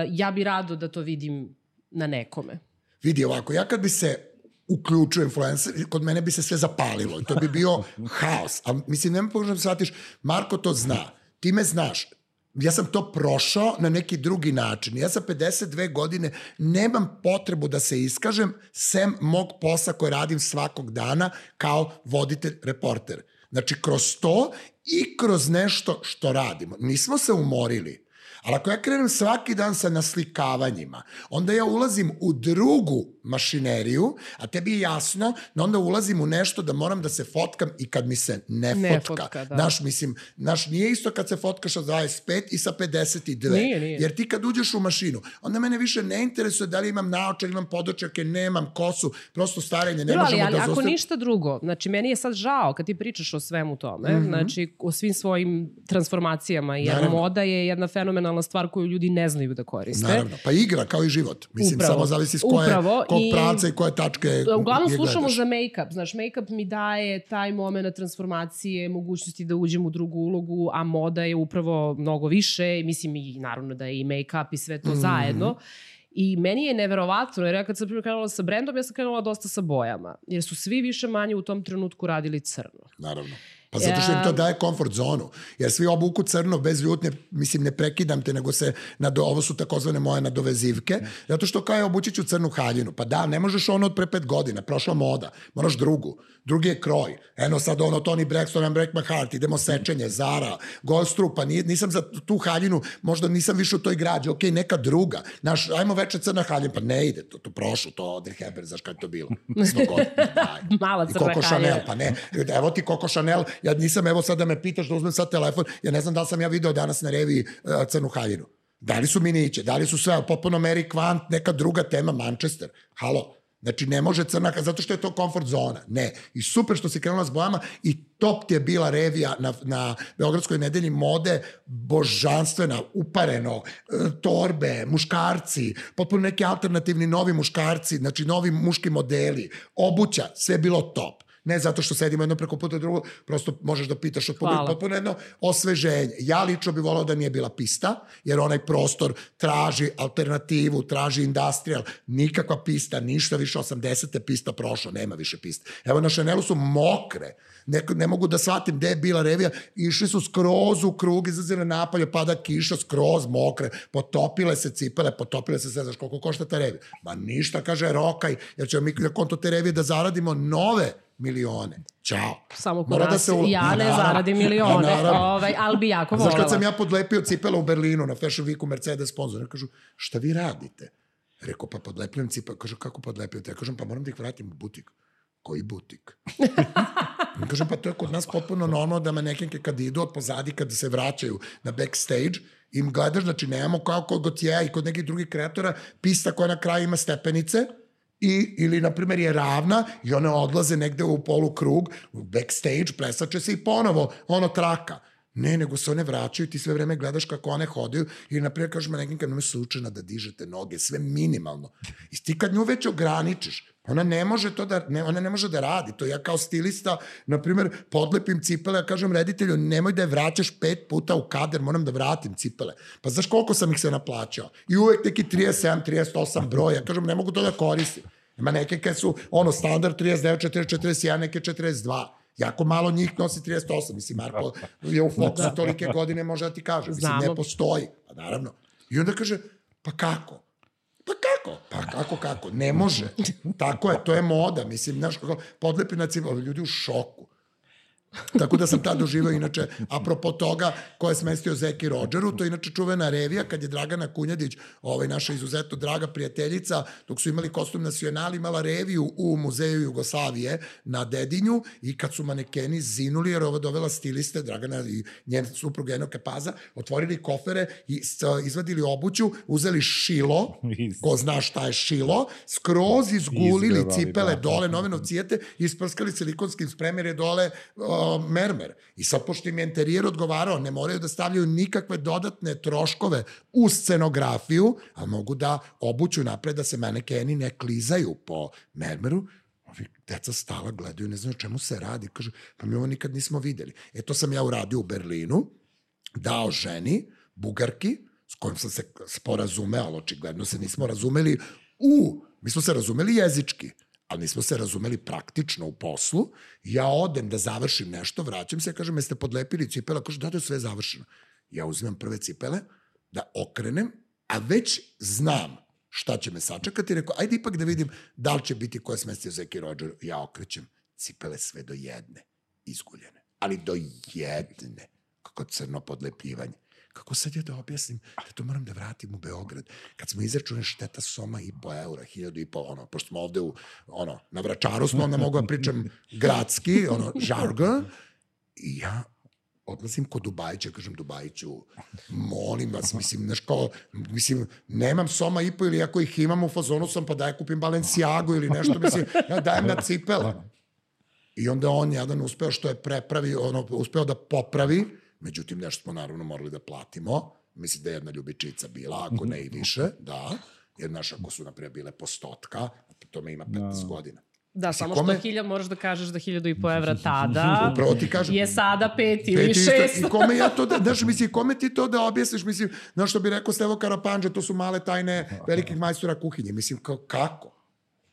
ja bi rado da to vidim na nekome. Vidi ovako, ja kad bi se uključio influencer, kod mene bi se sve zapalilo i to bi bio haos. A mislim, nema pogrešno da shvatiš, Marko to zna, ti me znaš, ja sam to prošao na neki drugi način. Ja sa pedeset dve godine nemam potrebu da se iskažem sem mog posla koje radim svakog dana kao voditelj, reporter. Znači, kroz to i kroz nešto što radimo. Nismo se umorili. Ali ako ja krenem svaki dan sa naslikavanjima, onda ja ulazim u drugu mašineriju, a tebi je jasno da onda ulazim u nešto da moram da se fotkam i kad mi se ne, ne fotka. fotka da. Naš, mislim, naš nije isto kad se fotkaš sa dvadeset pet i sa pedeset dve. Nije, nije. Jer ti kad uđeš u mašinu, onda mene više ne interesuje da li imam naočar, imam podočarke, nemam kosu, prosto starenje, ne Bro, možemo ali, da ako zostav... ništa drugo, znači meni je sad žao kad ti pričaš o svemu tome, mm-hmm. znači o svim svojim transformacijama, jer Naravno. moda je jedna fenomenalna stvar koju ljudi ne znaju da koriste. Naravno, pa igra kao i život. Mislim, Upravo. samo zavisi s koje, Upravo. kog I, pravca i koje tačke uglavnom slušamo za make-up. Znaš, make-up mi daje taj moment transformacije, mogućnosti da uđem u drugu ulogu, a moda je upravo mnogo više. Mislim, i naravno da je i make-up i sve to mm. zajedno. I meni je neverovatno, jer ja kad sam prvo krenula sa brendom, ja sam krenula dosta sa bojama. Jer su svi više manje u tom trenutku radili crno. Naravno. Pa zato što im to daje komfort zonu. Jer svi obuku crno bez ljutnje, mislim, ne prekidam te, nego se, nado, ovo su takozvane moje nadovezivke, zato što kao je obući ću crnu haljinu. Pa da, ne možeš ono od pre pet godina, prošla moda, moraš drugu. Drugi je kroj. Eno sad ono Toni Braxton and Break My Heart, idemo sečenje, Zara, Goldstrup, pa nisam za tu haljinu, možda nisam više u toj građi, ok, neka druga. Naš, ajmo veče crna haljina, pa ne ide, to, to prošlo, to Audrey Hepburn, znaš kada je to bilo? sto godina, mala crna haljina. Chanel, pa ne, evo ti Coco Chanel, ja nisam, evo sad da me pitaš da uzmem sad telefon, ja ne znam da li sam ja video danas na reviji uh, crnu haljinu. Da li su miniće, da li su sve, potpuno Mary Quant, neka druga tema, Manchester, halo. Znači, ne može crna, zato što je to komfort zona. Ne. I super što si krenula s bojama i top ti je bila revija na, na Beogradskoj nedelji mode, božanstvena, upareno, torbe, muškarci, potpuno neki alternativni novi muškarci, znači novi muški modeli, obuća, sve je bilo top. Ne zato što sedimo jedno preko puta drugo, prosto možeš da pitaš od publika, potpuno jedno osveženje. Ja lično bih volao da nije bila pista, jer onaj prostor traži alternativu, traži industrial, nikakva pista, ništa više, osamdesete pista prošlo, nema više pista. Evo na Chanelu su mokre, ne, ne mogu da shvatim gde je bila revija, išli su skroz u krug, izazile napolje, pada kiša, skroz mokre, potopile se cipele, potopile se sve, znaš koliko košta ta revija? Ma ništa, kaže Rokaj, jer ćemo mi na konto te revije da zaradimo nove milione. Ćao. Samo kod nas, da ul... ja ne naravno, zaradim milione, ovaj, ali bi jako volala. Znaš kad sam ja podlepio cipela u Berlinu na Fashion Weeku, Mercedes sponsor, kažu, šta vi radite? Rekao, pa podlepljujem cipele. Kaže, kako podlepljujem? Ja kažem, pa moram da ih vratim u butik. Koji butik? Kažem, pa to je kod nas potpuno normalno da manekenke kad idu od pozadi, kad se vraćaju na backstage, im gledaš, znači nemamo kao kod Gotjeja i kod nekih drugih kreatora, pista koja na kraju ima stepenice, I, ili, na primjer, je ravna i one odlaze negde u polukrug, u backstage, plesače se i ponovo, ono traka. Ne, nego se one vraćaju, ti sve vreme gledaš kako one hodaju i, na primjer, kažeš me nekim kad nam je slučajno da dižete noge, sve minimalno. I ti kad nju već ograničiš, ona ne može to da, ne, ona ne može da radi. To ja kao stilista, na primjer, podlepim cipele, ja kažem reditelju, nemoj da je vraćaš pet puta u kader, moram da vratim cipele. Pa znaš koliko sam ih se naplaćao? I uvek neki trideset sedam, trideset osam broj, ja kažem, ne mogu to da koristim. Ima neke kad su, ono, standard trideset devet, četrdeset, četrdeset jedan, neke četrdeset dva. Jako malo njih nosi trideset osam. Mislim, Marko je u Foxu tolike godine, može da ti kaže. Mislim, ne postoji. Pa naravno. I onda kaže, pa kako? Pa kako? Pa kako, kako? Ne može. Tako je, to je moda. Mislim, znaš, kako podlepi na cipele, ljudi u šoku. Tako da sam tad doživao, inače, apropo toga ko je smestio Zeki Rodžeru, to je inače čuvena revija, kad je Dragana Kunjadić, ovaj, naša izuzetno draga prijateljica, dok su imali Kostum nacional, imala reviju u Muzeju Jugoslavije na Dedinju i kad su manekeni zinuli, jer ovo dovela stiliste, Dragana i njen suprug Eno Kepaza, otvorili kofere i izvadili obuću, uzeli šilo, ko zna šta je šilo, skroz izgulili cipele dole, nove novcijete i isprskali silikonskim spremer dole mermer. I sad, pošto im je interijer odgovarao, ne moraju da stavljaju nikakve dodatne troškove u scenografiju, a mogu da obuću napred da se manekeni ne klizaju po mermeru. Ovi deca stala, gledaju, ne znaju čemu se radi. Kažu, pa mi ovo nikad nismo videli. E, to sam ja uradio u Berlinu, dao ženi, Bugarki, s kojom sam se sporazumeo, ali očigledno se nismo razumeli u, mi smo se razumeli jezički, ali nismo se razumeli praktično u poslu. Ja odem da završim nešto, vraćam se, kažem, jeste podlepili cipela? Kažu, da, da je sve završeno. Ja uzmem prve cipele, da okrenem, a već znam šta će me sačekati. Rekao, ajde ipak da vidim da li će biti ko je smestio Zeki Rodžer. Ja okrećem cipele sve do jedne, izguljene. Ali do jedne. Kako crno podlepljivanje. Kako sad ja da objasnim da to moram da vratim u Beograd? Kad smo izračunali šteta soma i po eura, hiljadu i po, ono, pošto smo ovde u, ono, na Vračaru smo, onda mogu da pričam gradski, ono, žargon, i ja odlazim kod Dubajića, kažem Dubajiću, molim vas, mislim, znaš kao, mislim, nemam soma i po, ili ako ih imam u fazonu sam, pa daj kupim Balenciagu ili nešto, mislim, ja dajem na cipele. I onda on jedan uspeo što je prepravi, ono, uspeo da popravi. Međutim, nešto smo naravno morali da platimo. Mislim da je jedna ljubičica bila, ako ne i više, da. Jer, znaš, ako su, naprijed, bile po stotka, to me ima petnaest godina. Da, samo što hiljad, moraš da kažeš da hiljadu i po evra tada je sada pet ili šest. I kome ja to, znaš, mislim, kome ti to da objasniš, mislim, znaš što bi rekao Stevo Karapanđa, to su male tajne velikih majstora kuhinje. Mislim, kako?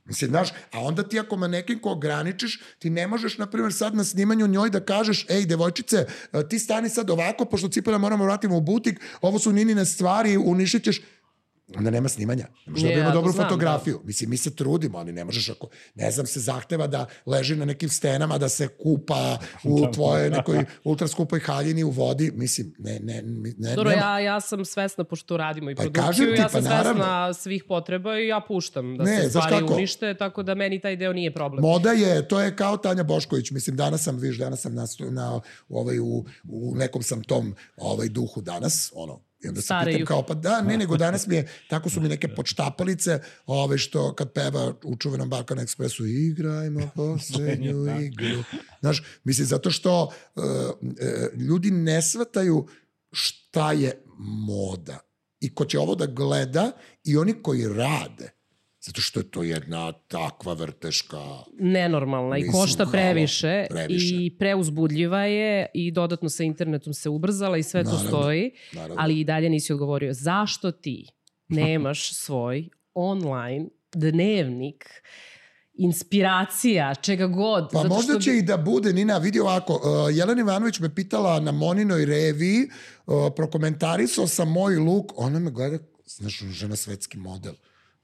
Mislim, znaš, a onda ti ako manekin ko ograničiš, ti ne možeš, na primjer, sad na snimanju njoj da kažeš, ej, devojčice, ti stani sad ovako, pošto cipele moramo vratimo u butik, ovo su Ninine stvari, uništit ćeš. Onda nema snimanja. Ne možeš da dobijemo dobru fotografiju. Mislim, mi se trudimo, ali ne možeš ako, ne znam, se zahteva da leži na nekim stenama, da se kupa u tvojoj nekoj ultraskupoj haljini u vodi. Mislim, ne, ne, ne. Dobro, ja, ja sam svesna, pošto radimo i produkciju, ja sam svesna svih potreba i ja puštam da se stvari unište, tako da meni taj deo nije problem. Moda je, to je kao Tanja Bošković. Mislim, danas sam, viš, danas sam na, ovaj, u, u nekom sam tom ovaj, duhu danas, ono, i onda se pitam kao, pa da, ne, nego danas mi je, tako su mi neke počtapalice, ove što kad peva u čuvenom Balkan Ekspresu, igrajmo poslednju igru. Znaš, mislim, zato što uh, uh, ljudi ne shvataju šta je moda. I ko će ovo da gleda i oni koji rade, zato što je to jedna takva vrteška... Nenormalna i košta previše, previše i preuzbudljiva je i dodatno sa internetom se ubrzala i sve naravno, to stoji, naravno. Ali i dalje nisi odgovorio. Zašto ti nemaš svoj online dnevnik, inspiracija, čega god? Pa zato možda što... će i da bude, Nina, vidi ovako, uh, Jelena Ivanović me pitala na Moninoj reviji, uh, prokomentarisao sam moj luk, ona me gleda, znaš, žena svetski model.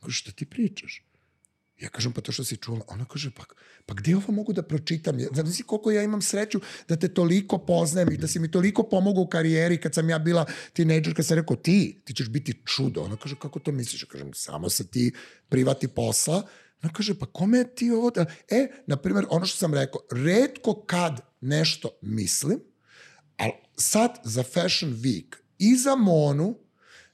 Šta ti pričaš? Ja kažem, pa to što si čula, ona kaže, pa, pa gde ovo mogu da pročitam? Znaš si koliko ja imam sreću da te toliko poznajem i da si mi toliko pomogao u karijeri kad sam ja bila tinejdžer, kad sam rekao, ti, ti ćeš biti čudo. Ona kaže, kako to misliš? Ja kažem, samo se ti privati posla. Ona kaže, pa kome ti ovo da... E, na primjer, ono što sam rekao, retko kad nešto mislim, ali sad za Fashion Week i za Monu,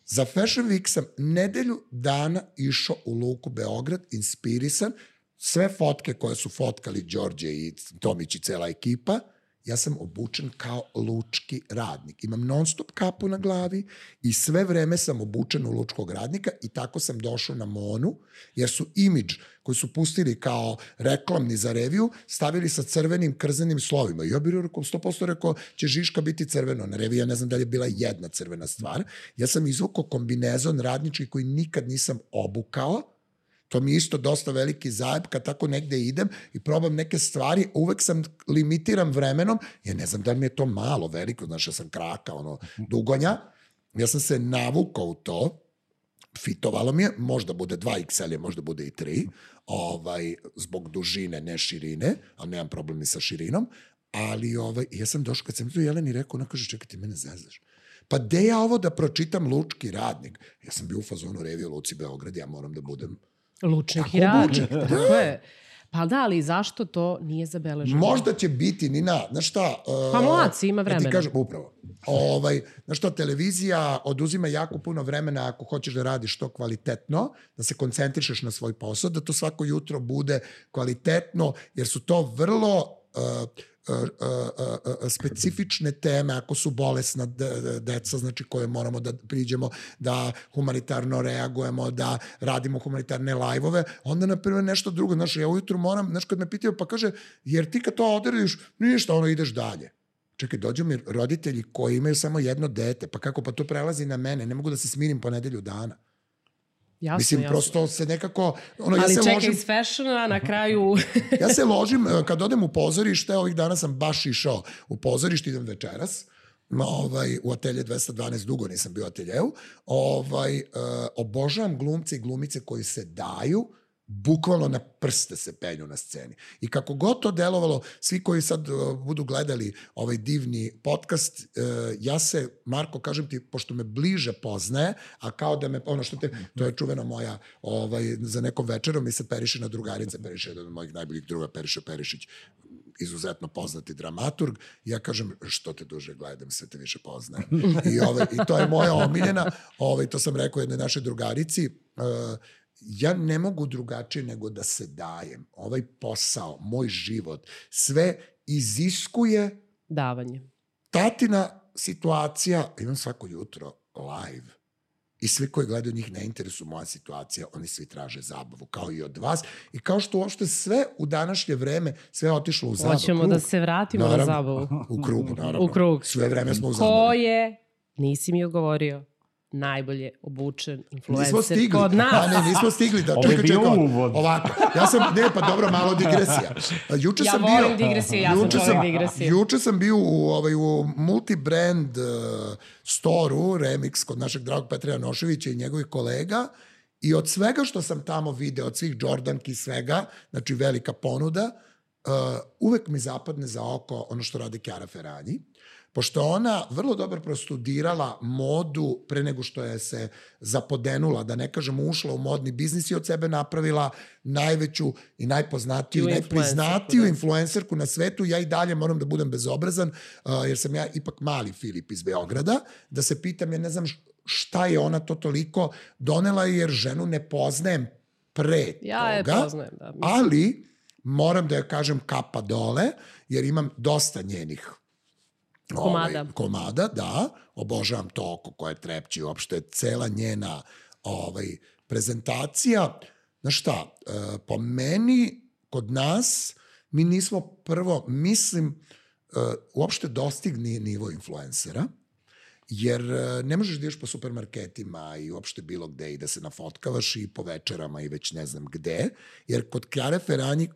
za Fashion Week sam nedelju dana išao u Luku Beograd, inspirisan, sve fotke koje su fotkali Đorđe i Tomić i cela ekipa, ja sam obučen kao lučki radnik. Imam non stop kapu na glavi i sve vreme sam obučen u lučkog radnika i tako sam došao na Monu, jer su imidž koji su pustili kao reklamni za reviju, stavili sa crvenim krzanim slovima. I ja bih rekao, sto posto rekao, će Žiška biti crveno. Na reviju ja ne znam da li je bila jedna crvena stvar. Ja sam izvukao kombinezon radnički koji nikad nisam obukao. To mi je isto dosta veliki zajeb kad tako negde idem i probam neke stvari, uvek sam limitiram vremenom, jer ne znam da li mi je to malo veliko, znaš, ja sam kraka, ono, dugonja. Ja sam se navukao u to, fitovalo mi je, možda bude dva iks el, možda bude i tri, ovaj, zbog dužine, ne širine, ali nemam problem ni sa širinom, ali ovaj, ja sam došao, kad sam to Jeleni rekao, ona kaže, čekaj, ti mene zezaš. Pa gde ja ovo da pročitam lučki radnik? Ja sam bio u fazonu reviju Luci Beograd, ja moram da budem lučnik i radnik. Tako je. Pa da, ali zašto to nije zabeleženo? Možda će biti, Nina, znaš šta... Uh, pa mlaci, ima vremena. Ja ti kažem, upravo. Ovaj, znaš šta, televizija oduzima jako puno vremena ako hoćeš da radiš to kvalitetno, da se koncentrišeš na svoj posao, da to svako jutro bude kvalitetno, jer su to vrlo... Uh, Uh, uh, uh, specifične teme, ako su bolesna deca, znači koje moramo da priđemo, da humanitarno reagujemo, da radimo humanitarne lajvove, onda, na primjer, nešto drugo. Znaš, ja ujutru moram, znaš, kad me pitaju, pa kaže, jer ti kad to odradiš, ništa, ono, ideš dalje. Čekaj, dođu mi roditelji koji imaju samo jedno dete, pa kako, pa to prelazi na mene, ne mogu da se smirim po nedelju dana. Jasno, Mislim, jasno. prosto se nekako... Ono, ali ja se čekaj, ložim, iz fashiona na kraju... ja se ložim, kad odem u pozorište, ovih dana sam baš išao u pozorište, idem večeras, ovaj, u atelje dvesta dvanaest, dugo nisam bio u ateljeu, ovaj, uh, obožavam glumce i glumice koji se daju, bukvalno na prste se penju na sceni. I kako god to delovalo, svi koji sad uh, budu gledali ovaj divni podcast, uh, ja se, Marko, kažem ti, pošto me bliže poznaje, a kao da me, ono što te, to je čuvena moja, ovaj, za nekom večerom mi se Periše na drugarice, Periše, jedan od mojih najboljih druga, Periše Perišić, izuzetno poznati dramaturg, ja kažem, što te duže gledam, sve te više poznajem. I, ovaj, i to je moja omiljena, ovaj, to sam rekao jednoj našoj drugarici, uh, ja ne mogu drugačije nego da se dajem. Ovaj posao, moj život, sve iziskuje davanje. Tatina situacija, imam svako jutro live i svi koji gledaju njih ne interesu moja situacija, oni svi traže zabavu, kao i od vas. I kao što uopšte sve u današnje vreme, sve je otišlo u zabavu. Hoćemo krug. Da se vratimo naravno, na zabavu. U krugu, naravno. U krug. Sve vreme smo u zabavu. Ko je, nisi mi odgovorio, najbolje obučen influencer kod nas. A ne, nismo stigli. Da, čekaj, čekaj, ovako. Ja sam, ne, pa dobro, malo digresija. Juče ja sam volim bio, digresije, ja juče sam volim digresije. Juče sam bio u, ovaj, u multibrand uh, storu, Remix, kod našeg dragog Petra Janoševića i njegovih kolega, i od svega što sam tamo video, od svih Jordanki i svega, znači velika ponuda, uh, uvek mi zapadne za oko ono što radi Chiara Ferragni, pošto ona vrlo dobro prostudirala modu pre nego što je se zapodenula, da ne kažem ušla u modni biznis i od sebe napravila najveću i najpoznatiju i najpriznatiju influencerku na svetu. Ja i dalje moram da budem bezobrazan, uh, jer sam ja ipak mali Filip iz Beograda, da se pitam, ja ne znam šta je ona to toliko donela, jer ženu ne poznajem pre ja toga, je poznajem, da, ali moram da joj kažem kapa dole, jer imam dosta njenih komada. Ovaj, komada, da, obožavam to oko koje trepći, uopšte cela njena ovaj, prezentacija. Znaš šta, po meni, kod nas, mi nismo prvo, mislim, uopšte dostigni nivo influencera, jer ne možeš da ideš po supermarketima i uopšte bilo gde i da se nafotkavaš i po večerama i već ne znam gde, jer kod Chiare Ferragni,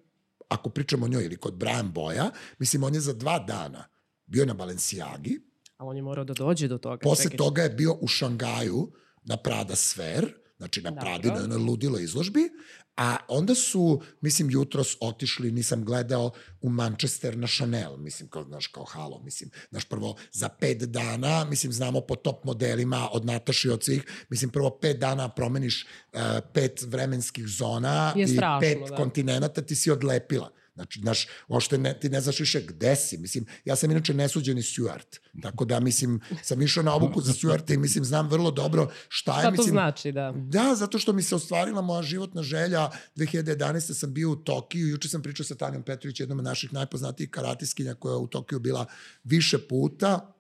ako pričamo o njoj, ili kod Brian Boya, mislim, on je za dva dana bio na Balenciagi. A on je morao da dođe do toga. Posle čekaj. toga je bio u Šangaju na Prada Sphere znači na Pradi, na jednoj ludilo izložbi, a onda su, mislim, jutros otišli, nisam gledao, u Manchester na Chanel, mislim, kao, znaš, kao halo, mislim, znaš, prvo za pet dana, mislim, znamo po top modelima od Nataši od svih, mislim, prvo pet dana promeniš uh, pet vremenskih zona i strašno, pet da. kontinenta ti si odlepila. Znači, znaš, ošte ne, ti ne znaš više gde si. Mislim, ja sam inače nesuđeni Stuart. Tako da, mislim, sam išao na obuku za Stuarta i, mislim, znam vrlo dobro šta je. Šta mislim, to znači, da? Da, zato što mi se ostvarila moja životna želja. dve hiljade jedanaeste. sam bio u Tokiju. Juče sam pričao sa Tanjom Petrović, jednom od naših najpoznatijih karatiskinja koja je u Tokiju bila više puta,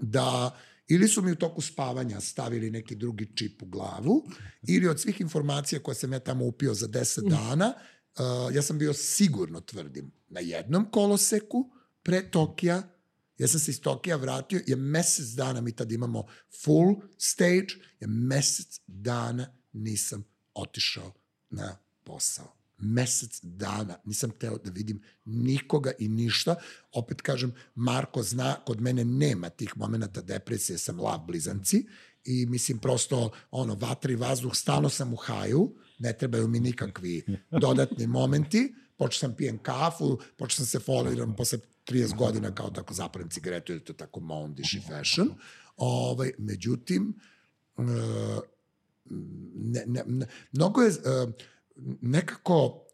da ili su mi u toku spavanja stavili neki drugi čip u glavu, ili od svih informacija koje sam ja tamo upio za deset dana, Uh, ja sam bio sigurno, tvrdim, na jednom koloseku pre Tokija. Ja sam se iz Tokija vratio, je mesec dana, mi tad imamo full stage, je mesec dana nisam otišao na posao. Mesec dana. Nisam teo da vidim nikoga i ništa. Opet kažem, Marko zna, kod mene nema tih momenta depresije, sam lav blizanci i mislim prosto ono, vatra i vazduh, stalno sam u haju, ne trebaju mi nikakvi dodatni momenti, počeo sam pijem kafu, počeo sam se foliram posle trideset godina kao tako zapalim cigaretu, jer to je tako mondish i fashion. Ovaj, međutim, ne, ne, ne, mnogo je nekako,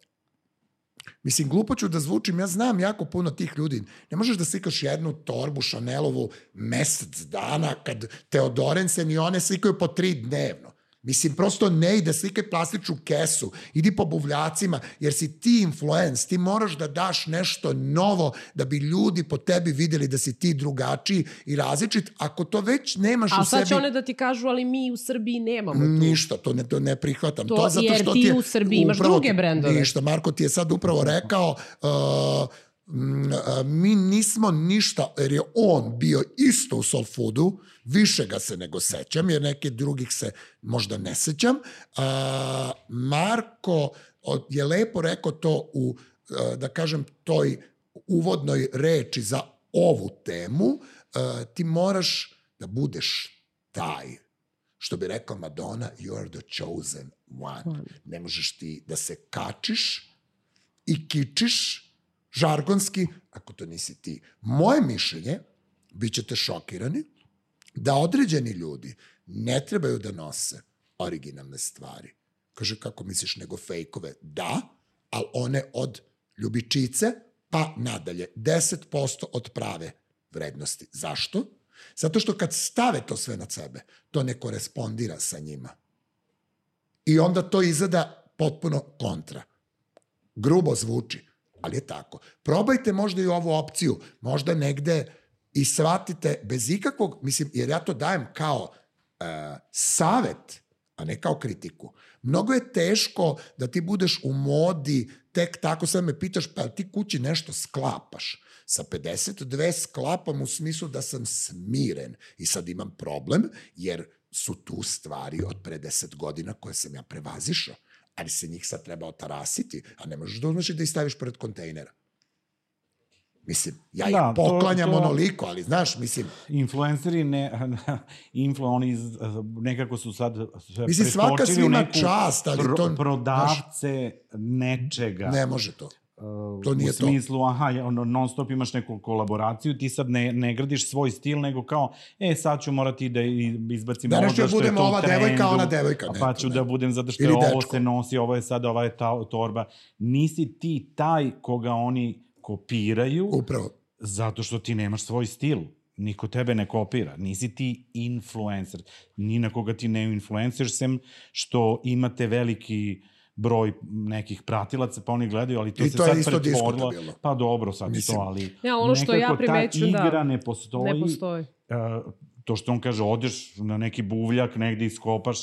mislim, glupo ću da zvučim, ja znam jako puno tih ljudi. Ne možeš da slikaš jednu torbu Chanelovu mesec dana kad Teodorensen i one slikaju po tri dnevno. Mislim, prosto ne ide, slikaj plastičnu kesu, idi po buvljacima, jer si ti influence, ti moraš da daš nešto novo da bi ljudi po tebi videli da si ti drugačiji i različit. Ako to već nemaš u sebi... A sad će one da ti kažu, ali mi u Srbiji nemamo tu. Ništa, to ne, to ne prihvatam. To, to zato jer što ti, ti je, u Srbiji imaš upravo, druge brendove. Ništa, Marko ti je sad upravo rekao... Uh, mi nismo ništa, jer je on bio isto u Soul Foodu, više ga se nego sećam, jer neke drugih se možda ne sećam. Marko je lepo rekao to u, da kažem, toj uvodnoj reči za ovu temu. Ti moraš da budeš taj. Što bi rekao Madonna, you are the chosen one. Ne možeš ti da se kačiš i kičiš žargonski, ako to nisi ti. Moje mišljenje, bit ćete šokirani, da određeni ljudi ne trebaju da nose originalne stvari. Kaže, kako misliš, nego fejkove? Da, ali one od ljubičice pa nadalje. deset posto od prave vrednosti. Zašto? Zato što kad stave to sve na sebe, to ne korespondira sa njima. I onda to izgleda potpuno kontra. Grubo zvuči, ali je tako. Probajte možda i ovu opciju, možda negde i shvatite bez ikakvog, mislim, jer ja to dajem kao e, savet, a ne kao kritiku. Mnogo je teško da ti budeš u modi, tek tako sad me pitaš, pa ti kući nešto sklapaš. Sa pedeset dve sklapam u smislu da sam smiren i sad imam problem, jer su tu stvari od pre deset godina koje sam ja prevazišao. Ali se njih sad treba otarasiti, a ne možeš da uzmeš i da ih staviš pored kontejnera. Mislim, ja ih da, poklanjam to, to, onoliko, ali znaš, mislim... Influenceri, ne, influ, oni nekako su sad mislim, svaka svima čast, ali pro, to... prodavce znaš, nečega. Ne može to. To nije u smislu, to. aha, non stop imaš neku kolaboraciju, ti sad ne, ne gradiš svoj stil, nego kao, e, sad ću morati da izbacim da ovo zato što je to u trendu. Da ova devojka, ona devojka. Ne, pa ću ne. da budem zato što je ovo dečko. Se nosi, ovo je sad, ova je ta, torba. Nisi ti taj koga oni kopiraju. Upravo. Zato što ti nemaš svoj stil. Niko tebe ne kopira. Nisi ti influencer. Ni na koga ti ne influencer, sem što imate veliki broj nekih pratilaca, pa oni gledaju, ali to I se to sad pretvorilo. Pa dobro, sad mislim, to, ali ja, ono što nekako ja primeću, ta igra da, ne postoji. Ne postoji. Uh, to što on kaže, odeš na neki buvljak, negde iskopaš,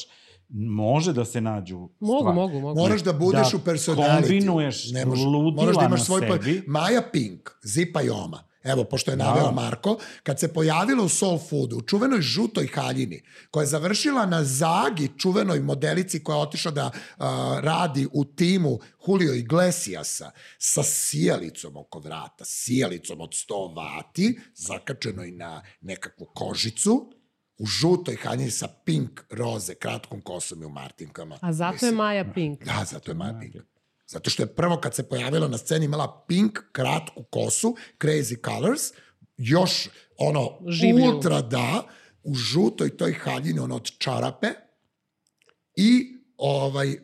može da se nađu mogu, stvari. Mogu, mogu. Moraš da budeš da u personality. Kombinuješ ludila moraš da imaš na svoj sebi. Pa... Maja Pink, Zipa i Oma. Evo, pošto je naveo da. Marko, kad se pojavila u Soul Foodu, u čuvenoj žutoj haljini, koja je završila na Zagi, čuvenoj modelici koja je otišla da uh, radi u timu Julio Iglesiasa, sa sijalicom oko vrata, sijalicom od sto vati, zakačenoj na nekakvu kožicu, u žutoj haljini sa pink roze, kratkom kosom i u martinkama. A zato mislim, je Maja pink. Da, zato je Maja pink. Zato što je prvo kad se pojavila na sceni imala pink, kratku kosu, Crazy Colors, još ono, življu. Ultra da, u žutoj toj haljini, ono od čarape i ovaj,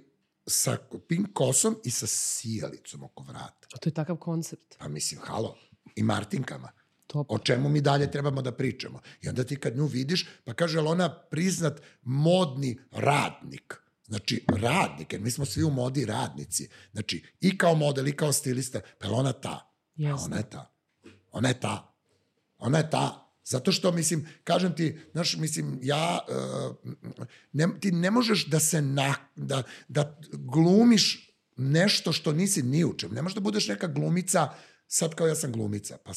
sa pink kosom i sa sijalicom oko vrata. A to je takav koncept. Pa mislim, halo, i martinkama. Top. O čemu mi dalje trebamo da pričamo. I onda ti kad nju vidiš, pa kaže, ali ona priznat modni radnik. Znači, radnik, jer mi smo svi u modi radnici. Znači, i kao model, i kao stilista, pa je ona ta. Yes. A ona je ta. Ona je ta. Ona je ta. Zato što, mislim, kažem ti, znaš, mislim, ja, uh, ne, ti ne možeš da se, na, da, da glumiš nešto što nisi ni u čem. Ne možeš da budeš neka glumica, sad kao ja sam glumica. Pa...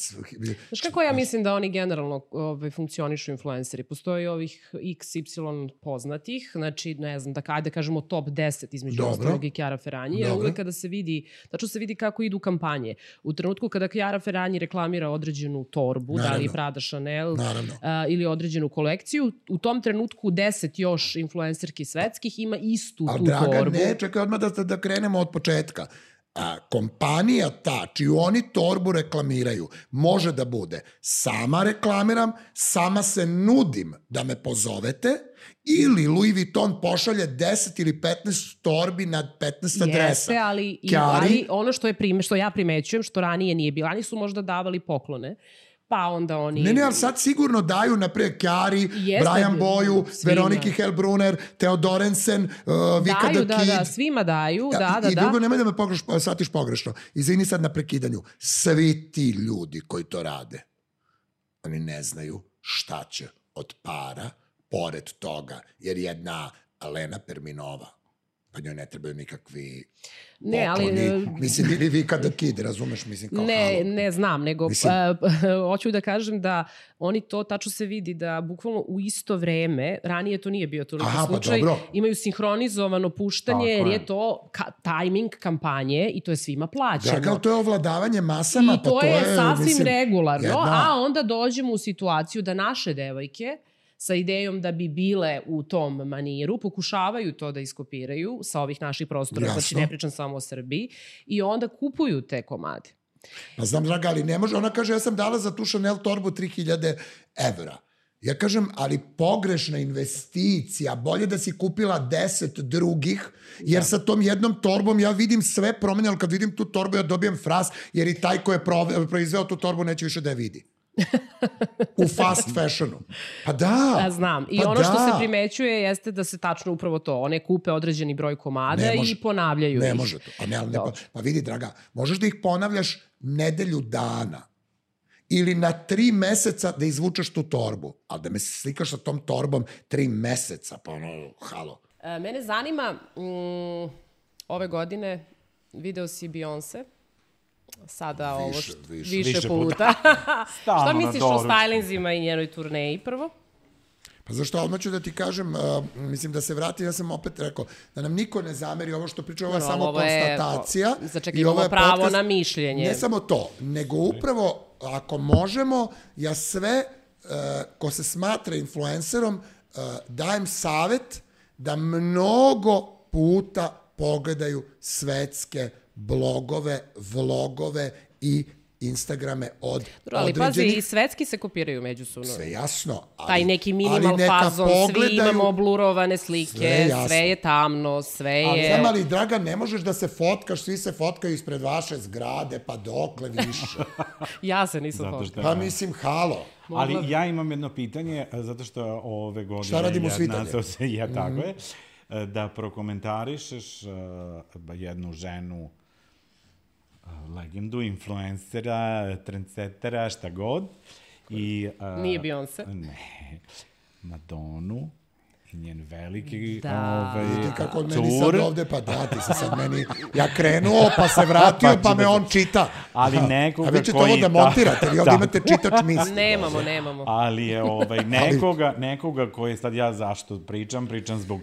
Znaš kako ja mislim da oni generalno ovaj, funkcionišu influenceri? Postoji ovih iks ipsilon poznatih, znači, ne znam, da, ajde kažemo top deset između ostalog i Chiara Ferragni, jer uvek kada se vidi, tačno se vidi kako idu kampanje. U trenutku kada Chiara Ferragni reklamira određenu torbu, naravno, da li Prada, Chanel a, ili određenu kolekciju, u tom trenutku deset još influencerki svetskih ima istu A, tu draga, torbu. A draga, ne, čekaj odmah da, da krenemo od početka. A, kompanija ta, čiju oni torbu reklamiraju, može da bude sama reklamiram, sama se nudim da me pozovete, ili Louis Vuitton pošalje deset ili petnaest torbi na petnaest adresa. Jeste, ali, i, ali ono što, je prime, što ja primećujem, što ranije nije bilo, oni su možda davali poklone, pa onda oni... Ne, ne, ali sad sigurno daju, naprijed, Chiari, Brian Boyu, Veroniki Hellbrunner, Theodorensen, uh, Vika daju, the da, Kid. Da, svima daju, da, da, da. I drugo, nemoj da me pogreš, shvatiš pogrešno. Izvini sad na prekidanju. Svi ti ljudi koji to rade, oni ne znaju šta će od para, pored toga, jer jedna Alena Perminova, pa njoj ne trebaju nikakvi ne, pokloni. Ali, mislim, ili vi kada kid, razumeš? Mislim, kao ne, halo. Ne znam, nego mislim, uh, hoću da kažem da oni to tačno se vidi da bukvalno u isto vreme, ranije to nije bio toliko Aha, slučaj, pa imaju sinhronizovano puštanje, jer je to ka- timing kampanje i to je svima plaćeno. Da, kao to je ovladavanje masama. I to, pa to je, je sasvim mislim, regularno, jedna... a onda dođemo u situaciju da naše devojke sa idejom da bi bile u tom maniru, pokušavaju to da iskopiraju sa ovih naših prostora, Jasno. Znači ne pričam samo o Srbiji, i onda kupuju te komade. Pa znam, draga, ali ne može. Ona kaže, ja sam dala za tu Chanel torbu tri hiljade evra. Ja kažem, ali pogrešna investicija, bolje da si kupila deset drugih, jer sa tom jednom torbom ja vidim sve promene, ali kad vidim tu torbu ja dobijem fras, jer i taj ko je proizveo tu torbu neće više da je vidi. U fast fashionu. Pa da. Ja znam. I pa ono da. što se primećuje jeste da se tačno upravo to. One kupe određeni broj komada i ponavljaju ne ih. Ne može to. Pa, ne, ne, pa, pa vidi, draga, možeš da ih ponavljaš nedelju dana ili na tri meseca da izvučeš tu torbu. Ali da me slikaš sa tom torbom tri meseca, pa ono, halo. E, mene zanima, mm, ove godine video si Beyoncé. Sada više, ovo što, više, više, više puta. Šta misliš o stylinzima i njenoj turneji prvo? Pa zašto, odmah ću da ti kažem, uh, mislim da se vrati, ja sam opet rekao, da nam niko ne zameri ovo što priča, ovo je no, samo ovo konstatacija. Je, začekaj, imamo pravo podcast, na mišljenje. Ne samo to, nego upravo, ako možemo, ja sve, uh, ko se smatra influencerom, uh, dajem savet da mnogo puta pogledaju svetske blogove, vlogove i Instagrame od Dobro, ali određenih... pazi, i svetski se kopiraju međusobno. Sve jasno. Ali, taj neki minimal fazon, svi imamo blurovane slike, sve, sve je tamno, sve je... Ali znam, ali, draga, ne možeš da se fotkaš, svi se fotkaju ispred vaše zgrade, pa dokle više. Ja se nisam fotkao. Pa mislim, halo. Ali ja imam jedno pitanje, zato što ove godine... Šta radimo svitanje? Ja, tako je. Da prokomentarišeš uh, jednu ženu, uh, legendu, influencera, trendsetera, šta god. I, uh, Nije Beyoncé. Ne, Madonu i njen veliki da. Ovaj, Vidite kako od meni sad ovde, pa da, ti se sad meni... Ja krenuo, pa se vratio, pa, pa me on čita. Ali nekoga koji... A vi ćete ovo da montirate, vi ovde imate čitač misli. Nemamo, nemamo. Ali je ovaj, nekoga, nekoga koje sad ja zašto pričam, pričam zbog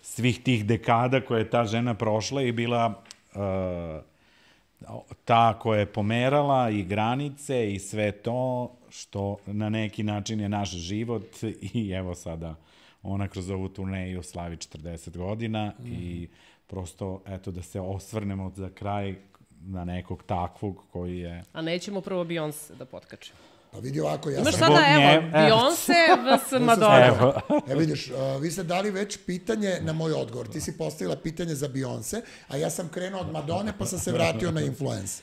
svih tih dekada koje je ta žena prošla i bila uh, ta koja je pomerala i granice i sve to što na neki način je naš život i evo sada ona kroz ovu turneju slavi četrdeset godina mm. i prosto, eto, da se osvrnemo za kraj na nekog takvog koji je... A nećemo prvo Beyoncé da potkačimo. Pa vidi ovako, ja Imaš sam... sada, evo, Beyoncé vs Madonna. Evo. E vidiš, uh, vi ste dali već pitanje na moj odgovor. Ti si postavila pitanje za Beyoncé, a ja sam krenuo od Madone, pa sam se vratio na influence.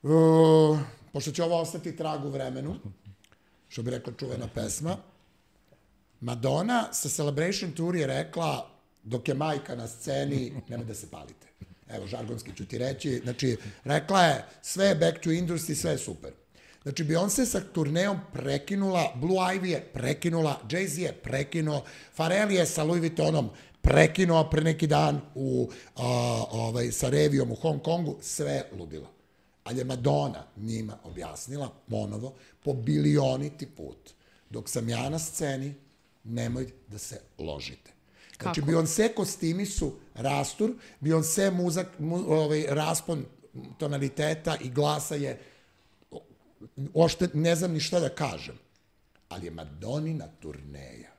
Uh, pošto će ovo ostati trag u vremenu, što bi rekla čuvena pesma, Madonna sa Celebration Tour je rekla, dok je majka na sceni, nemoj da se palite. Evo, žargonski ću ti reći. Znači, rekla je, sve je back to industry, sve je super. Znači, Beyoncé sa turneom prekinula, Blue Ivy je prekinula, Jay-Z je prekinuo, Pharrell je sa Louis Vuittonom prekinuo pre neki dan u, a, ovaj, sa revijom u Hong Kongu, sve ludilo. Ali je Madonna njima objasnila, ponovo, po bilioniti put. Dok sam ja na sceni, nemoj da se ložite. Znači, Beyoncé kostimi su rastur, Beyoncé muzak, mu, ovaj, raspon tonaliteta i glasa je, ošte ne znam ni šta da kažem, ali je Madonnina turneja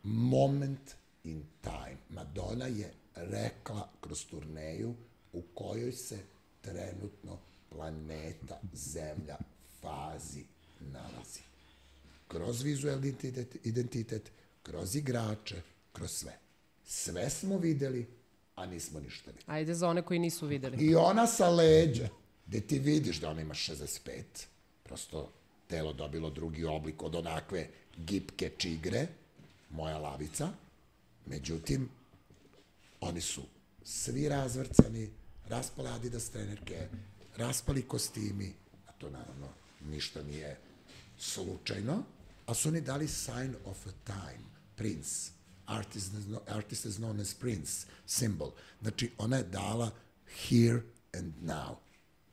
moment in time. Madonna je rekla kroz turneju u kojoj se trenutno planeta Zemlja fazi nalazi. Kroz vizualni identitet, identitet, kroz igrače, kroz sve. Sve smo videli, a nismo ništa videli. Ajde za one koji nisu videli. I ona sa leđa, gde ti vidiš da ona ima šezdeset pet, prosto telo dobilo drugi oblik od onakve gipke čigre, moja lavica, međutim, oni su svi razvrcani, raspale Adidas trenerke, raspali kostimi, a to naravno ništa nije slučajno, a su oni dali sign of a time, Prince, artist, artist is known as Prince, symbol. Znači, ona je dala here and now.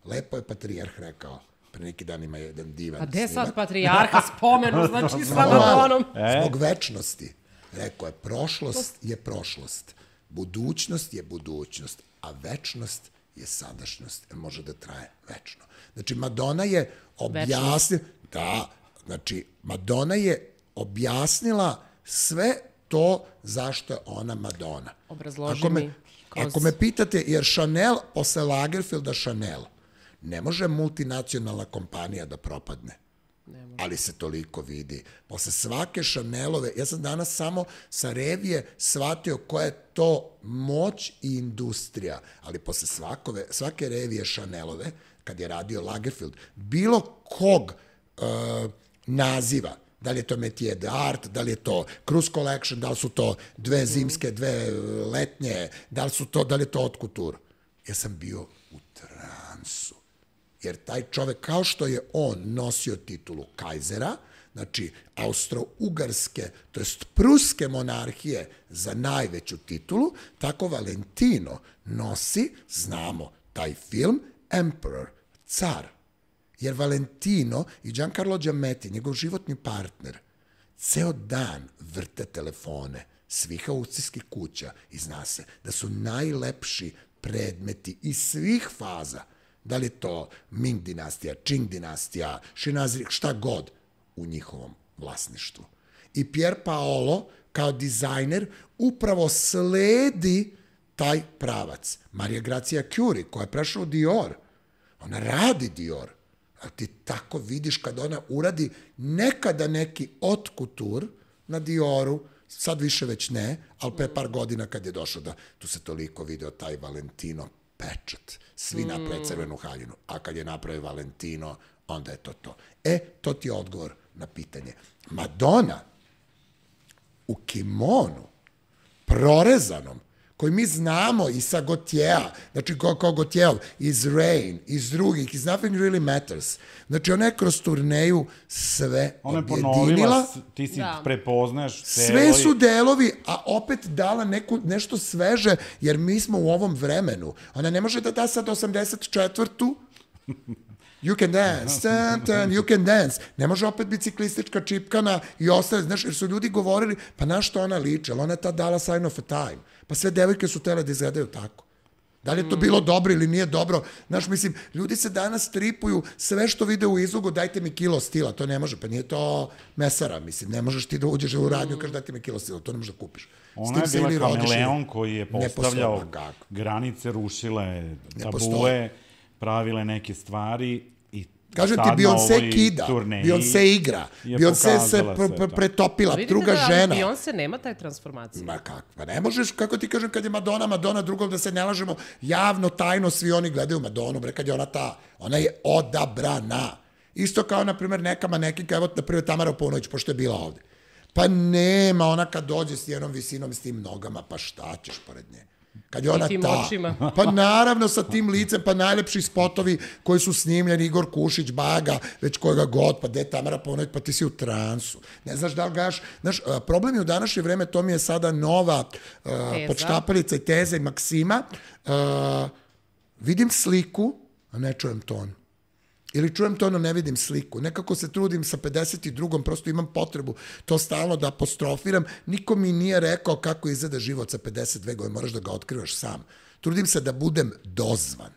Lepo je Patrijarh rekao, pre neki dan ima jedan divan snimak. A gde sad Patrijarha spomenu, znači sa Madonom? Zbog večnosti. Rekao je, prošlost je prošlost, budućnost je budućnost, a večnost je sadašnjost, jer može da traje večno. Znači, Madonna je objasnila, da, znači, Madonna je objasnila sve to zašto je ona Madonna. Obrazloži ako me, mi. Kroz... Ako me pitate, jer Chanel, posle Lagerfelda Chanel, ne može multinacionalna kompanija da propadne. Ali se toliko vidi. Posle svake Chanelove, ja sam danas samo sa revije shvatio koja je to moć i industrija, ali posle svakove, svake revije Chanelove, kad je radio Lagerfeld, bilo kog uh, naziva, da li je to Métier d'Art, da li je to Cruise Collection, da li su to dve zimske, dve letnje, da li, su to, da li je to Haute Couture. Ja sam bio u transu. Jer taj čovek, kao što je on nosio titulu Kajzera, znači austro-ugarske, to jest pruske monarhije za najveću titulu, tako Valentino nosi, znamo taj film, Emperor, car. Jer Valentino i Giancarlo Giammetti, njegov životni partner, ceo dan vrte telefone svih aukcijskih kuća i zna se da su najlepši predmeti iz svih faza, da li to Ming dinastija, Qing dinastija, Šinazri, šta god, u njihovom vlasništvu. I Pier Paolo, kao dizajner, upravo sledi taj pravac. Maria Grazia Chiuri, koja je prešla u Dior, ona radi Dior, a ti tako vidiš kad ona uradi nekada neki haute couture na Dioru, sad više već ne, ali pre par godina kad je došao da tu se toliko video taj Valentino pečat, svi mm. naprave crvenu haljinu, a kad je napravio Valentino, onda je to to. E, to ti je odgovor na pitanje. Madonna u kimonu, prorezanom, koji mi znamo i sa Gautiera, znači kao, kao Gautierov, iz Rain, iz drugih, iz Nothing Really Matters. Znači ona je kroz turneju sve ona objedinila. Ona je ponovila, ti si da. prepoznaš celo. Sve su delovi, a opet dala neku, nešto sveže, jer mi smo u ovom vremenu. Ona ne može da da sad osamdeset četvrtu You can dance, tan, tan, you can dance. Ne može opet biciklistička čipkana i ostale, znaš, jer su ljudi govorili, pa na što ona liče, ali ona je tad dala sign of a time. Pa sve devojke su tele da izgledaju tako. Da li je to bilo dobro ili nije dobro? Znaš, mislim, ljudi se danas tripuju sve što vide u izlogu, dajte mi kilo stila, to ne može, pa nije to mesara, mislim, ne možeš ti da uđeš u radnju i kažeš dajte mi kilo stila, to ne možeš da kupiš. Ona je bila kameleon koji je postavljao granice, rušile tabue, pravile neke stvari i kažem ti, Beyoncé kida, Beyoncé igra, Beyoncé se pretopila, druga žena. Vidite da Beyoncé nema taj transformacije. Ma kako, pa ne možeš, kako ti kažem, kad je Madonna, Madonna drugom, da se ne lažemo, javno, tajno, svi oni gledaju Madonu, bre, kad je ona ta, ona je odabrana. Isto kao, na primjer, neka manekinka, evo, na primjer, Tamara Paunović, pošto je bila ovde. Pa nema, ona kad dođe s jednom visinom, s tim nogama, pa šta ćeš pored nje? Kad je ona ta, pa naravno sa tim licem, pa najlepši spotovi koji su snimljeni, Igor Kušić, Baga, već kojega god, pa gde Tamara Paunović, pa ti si u transu. Ne znaš da li gaš, znaš, problem je u današnje vreme, to mi je sada nova uh, podštapalica i teza i maksima, uh, vidim sliku, a ne čujem ton. Ili čujem to, no ne vidim sliku. Nekako se trudim sa pedeset drugom, prosto imam potrebu to stalno da apostrofiram. Niko mi nije rekao kako izgleda život sa pedeset dve godine, moraš da ga otkrivaš sam. Trudim se da budem dozvan,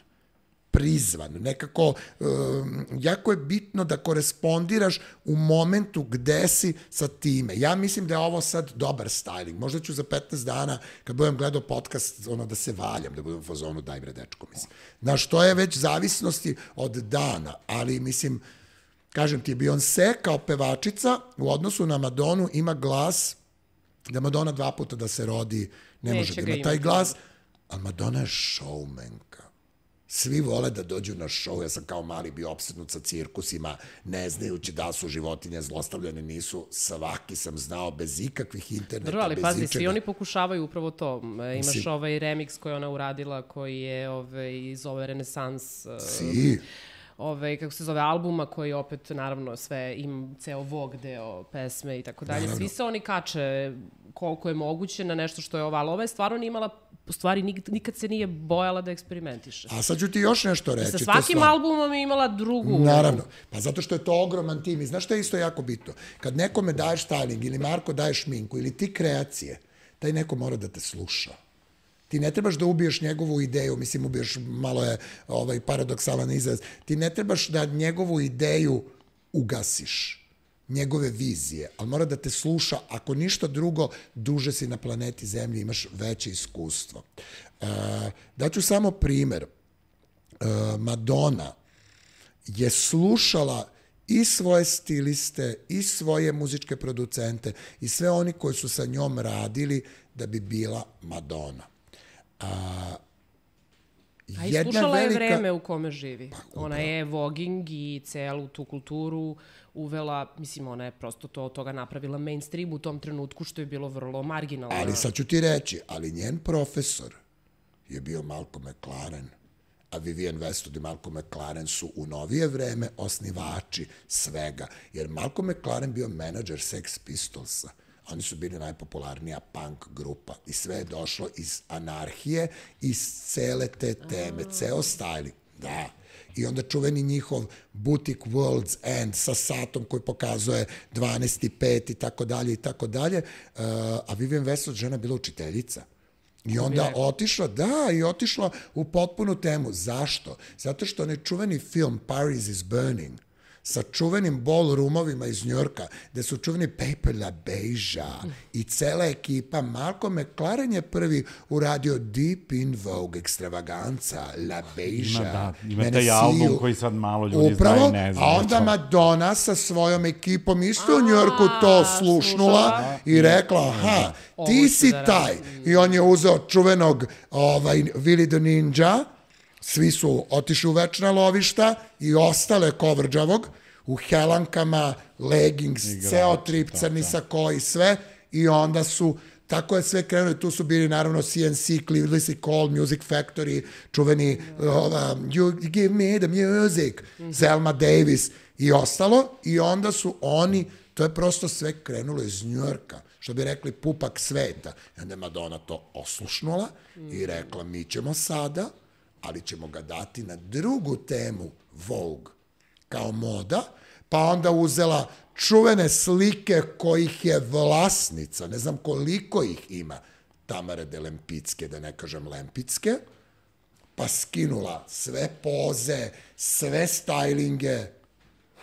prizvan. Nekako, um, jako je bitno da korespondiraš u momentu gde si sa time. Ja mislim da je ovo sad dobar styling. Možda ću za petnaest dana, kad budem gledao podcast, ono da se valjam, da budem u fazonu, daj bre dečko, mislim. Znaš, to je već zavisnosti od dana, ali mislim, kažem ti, Beyoncé kao pevačica u odnosu na Madonu ima glas, da Madonna dva puta da se rodi, ne može da ima taj glas, ali Madonna je showmanka. Svi vole da dođu na show, ja sam kao mali bio opsednut sa cirkusima, ne znajući da su životinje zlostavljene, nisu, svaki sam znao bez ikakvih interneta, Dobro, ali bez pazi, ičega. Svi oni pokušavaju upravo to. Imaš si. ovaj remix koji ona uradila, koji je ovaj, iz ove Renesans... Si. Ove, kako se zove, albuma koji opet, naravno, sve im ceo Vogue deo pesme i tako dalje. Svi se oni kače koliko je moguće na nešto što je ova, ali ova je stvarno nije imala, u stvari nikad se nije bojala da eksperimentiše. A sad ću ti još nešto reći. Sa svakim stvar... albumom je imala drugu. Naravno, pa zato što je to ogroman tim. I znaš što je isto jako bitno? Kad nekome daješ styling ili Marko daješ šminku ili ti kreacije, taj neko mora da te sluša. Ti ne trebaš da ubiješ njegovu ideju, mislim ubiješ, malo je ovaj, paradoksalan izraz, ti ne trebaš da njegovu ideju ugasiš, njegove vizije, ali mora da te sluša, ako ništa drugo, duže si na planeti Zemlji, imaš veće iskustvo. Uh, daću samo primer. Uh, Madonna je slušala i svoje stiliste, i svoje muzičke producente, i sve oni koji su sa njom radili da bi bila Madonna. A, A iskušala je velika... vreme u kome živi. Pa, ona je voging i celu tu kulturu uvela, mislim, ona je prosto to od toga napravila mainstream u tom trenutku, što je bilo vrlo marginalno. Ali sad ću ti reći, ali njen profesor je bio Malcolm McLaren, a Vivienne Westwood i Malcolm McLaren su u novije vreme osnivači svega, jer Malcolm McLaren bio menadžer Sex Pistolsa. Oni su bili najpopularnija punk grupa i sve je došlo iz anarhije, iz cele te teme, ceo styling, da. I onda čuveni njihov butik World's End sa satom koji pokazuje dvanaest i pet i tako dalje i tako dalje, a Vivienne Westwood žena bila učiteljica. I onda otišla, da, i otišla u potpunu temu. Zašto? Zato što onaj čuveni film Paris is Burning, sa čuvenim ballroomovima iz Njorka, gde su čuveni Paper La Beija i cela ekipa. Malcolm McLaren je prvi uradio Deep in Vogue ekstravaganca, La Beija. Ima, da, ima taj album koji sad malo ljudi upravo, znaju, ne znam. A onda Madonna sa svojom ekipom isto u Njorku to slušnula i rekla, aha, ti si taj. I on je uzeo čuvenog ovaj, Willy the Ninja, svi su otišli u večna lovišta i ostale Kovrđavog u helankama, leggings, ceo trip, crni sako i sve. I onda su, tako je sve krenulo. Tu su bili naravno C N C, Cleveland Call, Music Factory, čuveni uh, You Give Me the Music, Zelma Davis i ostalo. I onda su oni, to je prosto sve krenulo iz Njujorka, što bi rekli pupak sveta. I onda je Madonna to oslušnula i rekla, mi ćemo sada, ali ćemo ga dati na drugu temu Vogue kao moda, pa onda uzela čuvene slike kojih je vlasnica, ne znam koliko ih ima, Tamare de Lempicke, da ne kažem Lempicke, pa skinula sve poze, sve stylinge.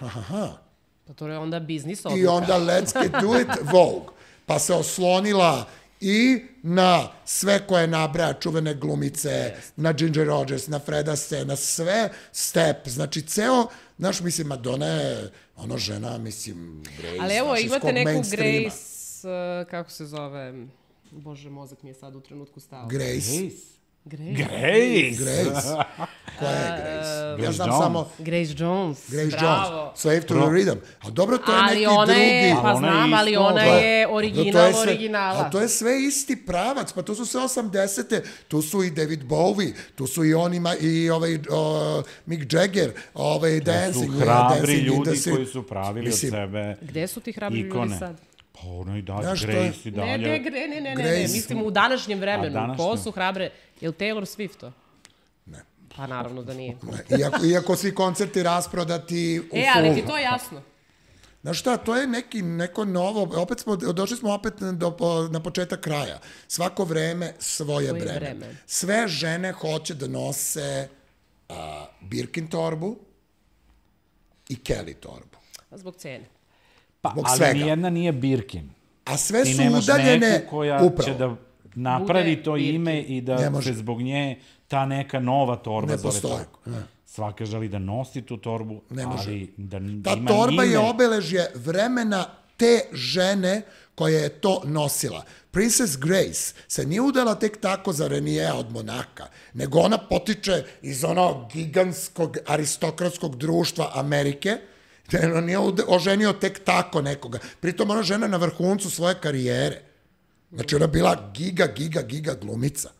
Aha. Pa to je onda biznis odluka. I onda let's get do it, Vogue. Pa se oslonila i na sve koje nabraja čuvene glumice, yes. na Ginger Rogers, na Freda Astaire, na sve Step. Znači, ceo, znaš, mislim, Madonna je ono žena, mislim, Grace. Ali evo, imate neku Grace, uh, kako se zove, bože, mozak mi je sad u trenutku stao. Grace. Grace. Grace. Grace. Koja je Grace? Uh, ja znam samo... Grace Jones. Grace Bravo. Jones. Slave to the Rhythm. A dobro, to je ali neki ona drugi... Je, pa ona znam, je ali isto, ona da. je original je sve, originala. A to je sve isti pravac. Pa to su sve osamdesete. Tu su i David Bowie, tu su i on ima i ovaj uh, Mick Jagger, ovaj Dancing. To su hrabri dancing ljudi industry. koji su pravili mislim, od sebe Gde su ti hrabri ikone. ljudi sad? Pa ono i dalje, Grace i dalje. Ne, ne, ne, ne, ne, ne, mislim u današnjem vremenu. današnjem. Ko su hrabre? Je li Taylor Swift to? Ne. Pa naravno da nije. Ne. Iako, iako svi koncerti rasprodati u E, ali ti to je jasno. Znaš šta, to je neki, neko novo, opet smo, došli smo opet do, na početak kraja. Svako vreme svoje, svoje vreme. vreme. Sve žene hoće da nose uh, Birkin torbu i Kelly torbu. Zbog cene. Pa, Zbog ali svega. nijedna nije Birkin. A sve ti su udaljene neku koja upravo. će da napravi Bude to Birkin. ime i da se zbog nje ta neka nova torba ne zove postoji. tako. Ne. Svaka želi da nosi tu torbu, ne može. ali da ta ima torba ime. je obeležje vremena te žene koja je to nosila. Princess Grace se nije udala tek tako za Renijea od Monaka, nego ona potiče iz onog gigantskog aristokratskog društva Amerike, on nije oženio tek tako nekoga. Pritom ona žena na vrhuncu svoje karijere. Znači ona bila giga, giga, giga glumica.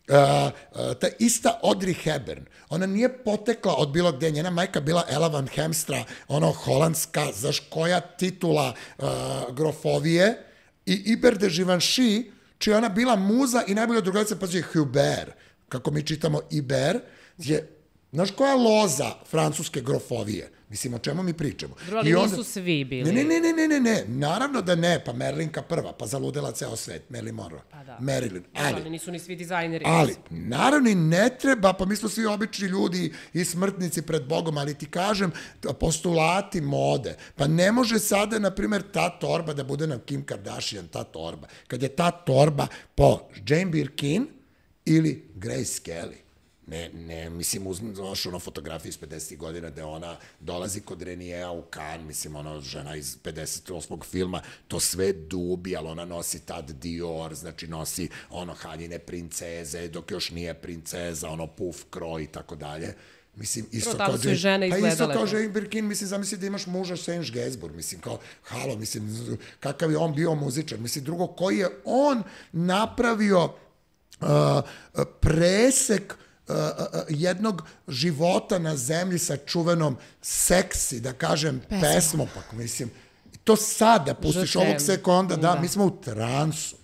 Uh, uh, ta ista Audrey Hepburn, ona nije potekla od bilo gde, njena majka bila Ella Van Hemstra, ono holandska, znaš koja titula uh, grofovije, i Iber de Givenchy, čija ona bila muza i najbolja drugarica, pa je Hubert, kako mi čitamo Iber, je, znaš koja loza francuske grofovije? Mislim, o čemu mi pričamo? Drugo, ali onda, nisu svi bili. Ne, ne, ne, ne, ne, ne, naravno da ne, pa Merlinka prva, pa zaludela ceo svet, Marilyn Monroe, pa da. Marilyn, ali, ali nisu ni svi dizajneri. Ali, naravno i ne treba, pa mi smo svi obični ljudi i smrtnici pred Bogom, ali ti kažem, postulati mode, pa ne može sada, na primjer, ta torba da bude na Kim Kardashian, ta torba, kad je ta torba po Jane Birkin ili Grace Kelly. Ne, ne, mislim, uzmaš ono fotografiju iz pedesetih godina gde ona dolazi kod Renijea u Cannes, mislim, ono žena iz pedeset osmog filma, to sve dubi, ali ona nosi tad Dior, znači nosi ono haljine princeze, dok još nije princeza, ono puf kroj i tako dalje. Mislim, isto kao, su žene pa isto kao to. Jane Birkin, mislim, zamisli da imaš muža Serge Gainsbourg, mislim, kao, halo, mislim, kakav je on bio muzičar, mislim, drugo, koji je on napravio uh, presek Uh, uh, jednog života na zemlji sa čuvenom seksi, da kažem, Pesmo. pesmom, pa mislim, to sad da pustiš Žutem. ovog sekonda, da, da, mi smo u transu.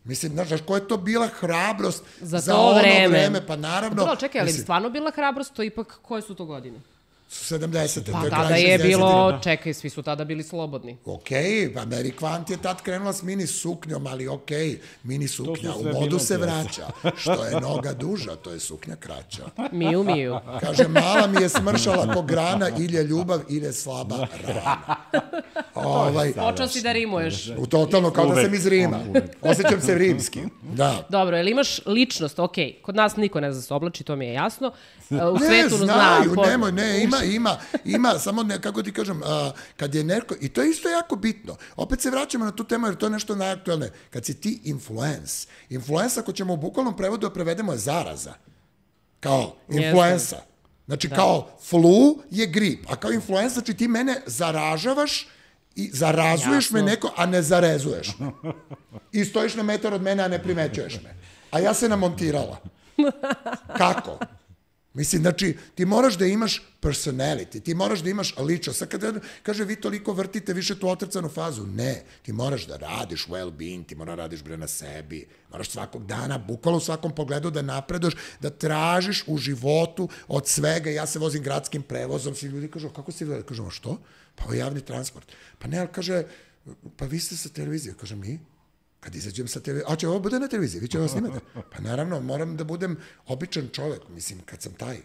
Mislim, znaš, koja je to bila hrabrost za, za ono vreme. vreme, pa naravno... Dobro, čekaj, ali mislim, stvarno bila hrabrost, to ipak, koje su to godine? sedamdesete. Pa tada je bilo, čekaj, svi su tada bili slobodni. Okej, pa Mary Quant je tad krenula s mini suknjom, ali okej, mini suknja u modu se vraća. Što je noga duža, to je suknja kraća. Miju, miju. Kaže, mala mi je smršala ko grana, ili je ljubav, ili je slaba rana. Ovaj, Počeo si da rimuješ. U totalno, kao da sam iz Rima. Osjećam se rimski. Da. Dobro, jel imaš ličnost, okej, kod nas niko ne zna se oblači, to mi je jasno. U ne, svetu znaju, zna, nemoj, ne, ima, ima, ima, samo ne, kako ti kažem, a, kad je neko, i to je isto jako bitno, opet se vraćamo na tu temu jer to je nešto najaktualne, kad si ti influence, influensa, ako ćemo u bukvalnom prevodu da prevedemo je zaraza, kao influensa, znači da. Kao flu je grip, a kao influensa, znači ti mene zaražavaš i zarazuješ Jasno. me neko, a ne zarezuješ me. I stojiš na metar od mene, a ne primećuješ me. A ja se namontirala. Kako? Mislim, znači, ti moraš da imaš personality, ti moraš da imaš ličnost. Sad kada kaže, vi toliko vrtite više tu otrcanu fazu, ne, ti moraš da radiš well-being, ti moraš da radiš bre na sebi, moraš svakog dana, bukvalno u svakom pogledu da napreduješ, da tražiš u životu od svega. Ja se vozim gradskim prevozom, svi ljudi kažu, kako si vi? Kažemo, što? Pa ovo je javni transport. Pa ne, ali kaže, pa vi ste sa televizije. Kaže, mi? Kad izađem sa televizije, a će ovo bude na televiziji, vi će ovo snimati? Pa naravno, moram da budem običan čovek, mislim, kad sam taj.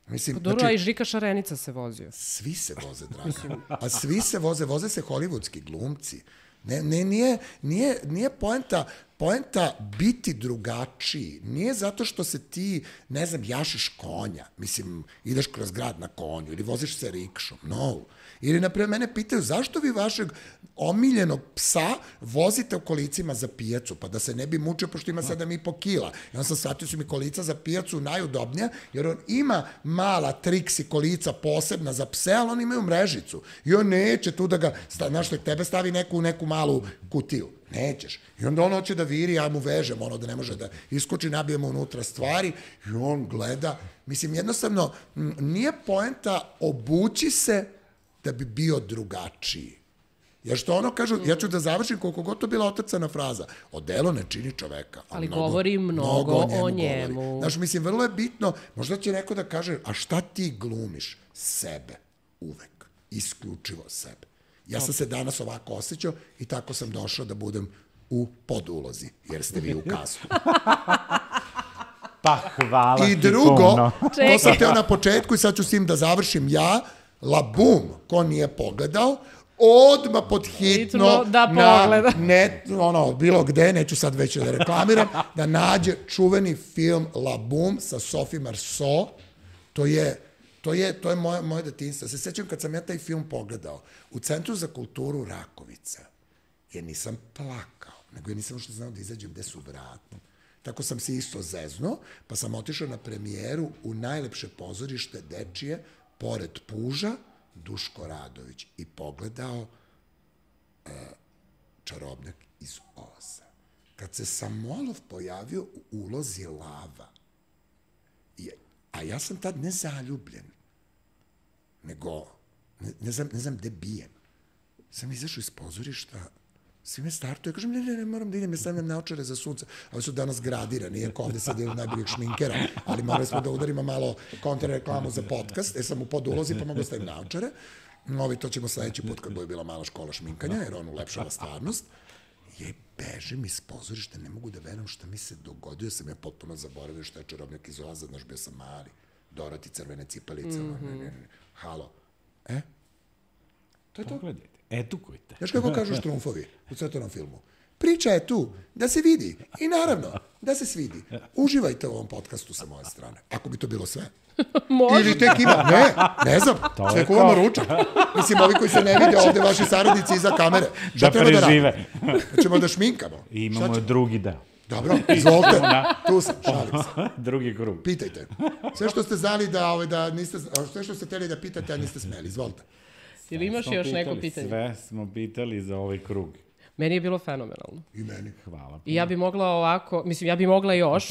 Mislim, dobro, znači, a i Žika Šarenica se vozio. Svi se voze, draga. A svi se voze, voze se hollywoodski glumci. Ne, ne, nije, nije, nije poenta, poenta biti drugačiji. Nije zato što se ti, ne znam, jašiš konja. Mislim, ideš kroz grad na konju ili voziš se rikšom. No. Ili, naprijed, mene pitaju zašto vi vašeg omiljenog psa vozite u kolicima za pijacu, pa da se ne bi mučio, pošto ima sedam i po kila. I on sam shvatio su mi kolica za pijacu najudobnija, jer on ima mala triksi kolica posebna za pse, ali on imaju mrežicu. I on neće tu da ga, znaš što tebe stavi neku, neku malu kutiju. Nećeš. I onda on hoće da viri, ja mu vežem, ono da ne može da iskoči, nabijemo unutra stvari i on gleda. Mislim, jednostavno, nije poenta obući se da bi bio drugačiji. Jer što ono kažu, ja ću da završim koliko god to bila otrcana fraza. Odelo ne čini čoveka. Ali mnogo, govori mnogo, mnogo o njemu. O njemu. Znaš, mislim, vrlo je bitno, možda će neko da kaže, a šta ti glumiš? Sebe. Uvek. Isključivo sebe. Ja sam se danas ovako osjećao i tako sam došao da budem u podulozi, jer ste vi u kazu. Pa hvala I drugo, to sam teo na početku i sad ću s tim da završim ja, Labum, ko nije pogledao, odmah pod hitno da pogleda. Na net, ono, bilo gde, neću sad već da reklamiram, da nađe čuveni film Labum sa Sophie Marceau. To je, to je, to je moje, moje detinjstvo. Se sećam kad sam ja taj film pogledao u Centru za kulturu Rakovica, jer nisam plakao, nego ja nisam što znao da izađem gde su vrata. Tako sam se isto zeznuo, pa sam otišao na premijeru u najlepše pozorište dečije, pored Puža, Duško Radović, i pogledao uh, Čarobnjak iz Oza. Kad se Samolov pojavio u ulozi Lava, i, a ja sam tad ne zaljubljen, nego ne, ne, znam, ne znam gde bijem. Sam izašao iz pozorišta, svi me startuju, ja kažem, ne, ne, ne, moram da idem, ja stavljam naočare za sunce. Ovi su danas gradirani, iako ovde sad je najboljeg šminkera, ali morali smo da udarimo malo kontrareklamu za podcast, jer sam u podulozi, pa mogu da stavim naočare. Ovi, to ćemo sledeći put kad bude bila mala škola šminkanja, jer on ulepšava stvarnost. Je, bežim iz pozorišta, ne mogu da verujem šta mi se dogodio, sam ja potpuno zaboravio šta je Čarobnjak iz Oza, znaš, bio sam mali, Doroti, crvene cipalice, mm -hmm. ne, ne, ne, halo. E? To je to. Pogledajte, edukujte. Znaš kako kažu Štrumfovi u crtanom filmu? Priča je tu, da se vidi i naravno, da se svidi. Uživajte u ovom podcastu sa moje strane, ako bi to bilo sve. Može. Ili tek ima, ne, ne znam, sve kuvamo ručak. Mislim, ovi koji se ne vide ovde, vaši saradnici iza kamere. Šta da prežive. Da ćemo da šminkamo. I imamo drugi deo. Dobro, izvolite, tu sam, šalim se. Drugi krug. Pitajte. Sve što ste znali da, ovaj, da niste, sve što ste hteli da pitate, a niste smeli, izvolite. Ili imaš još neko pitanje? Sve smo pitali za ovaj krug. Meni je bilo fenomenalno. I meni. Hvala. I ja bi mogla ovako, mislim, ja bi mogla još.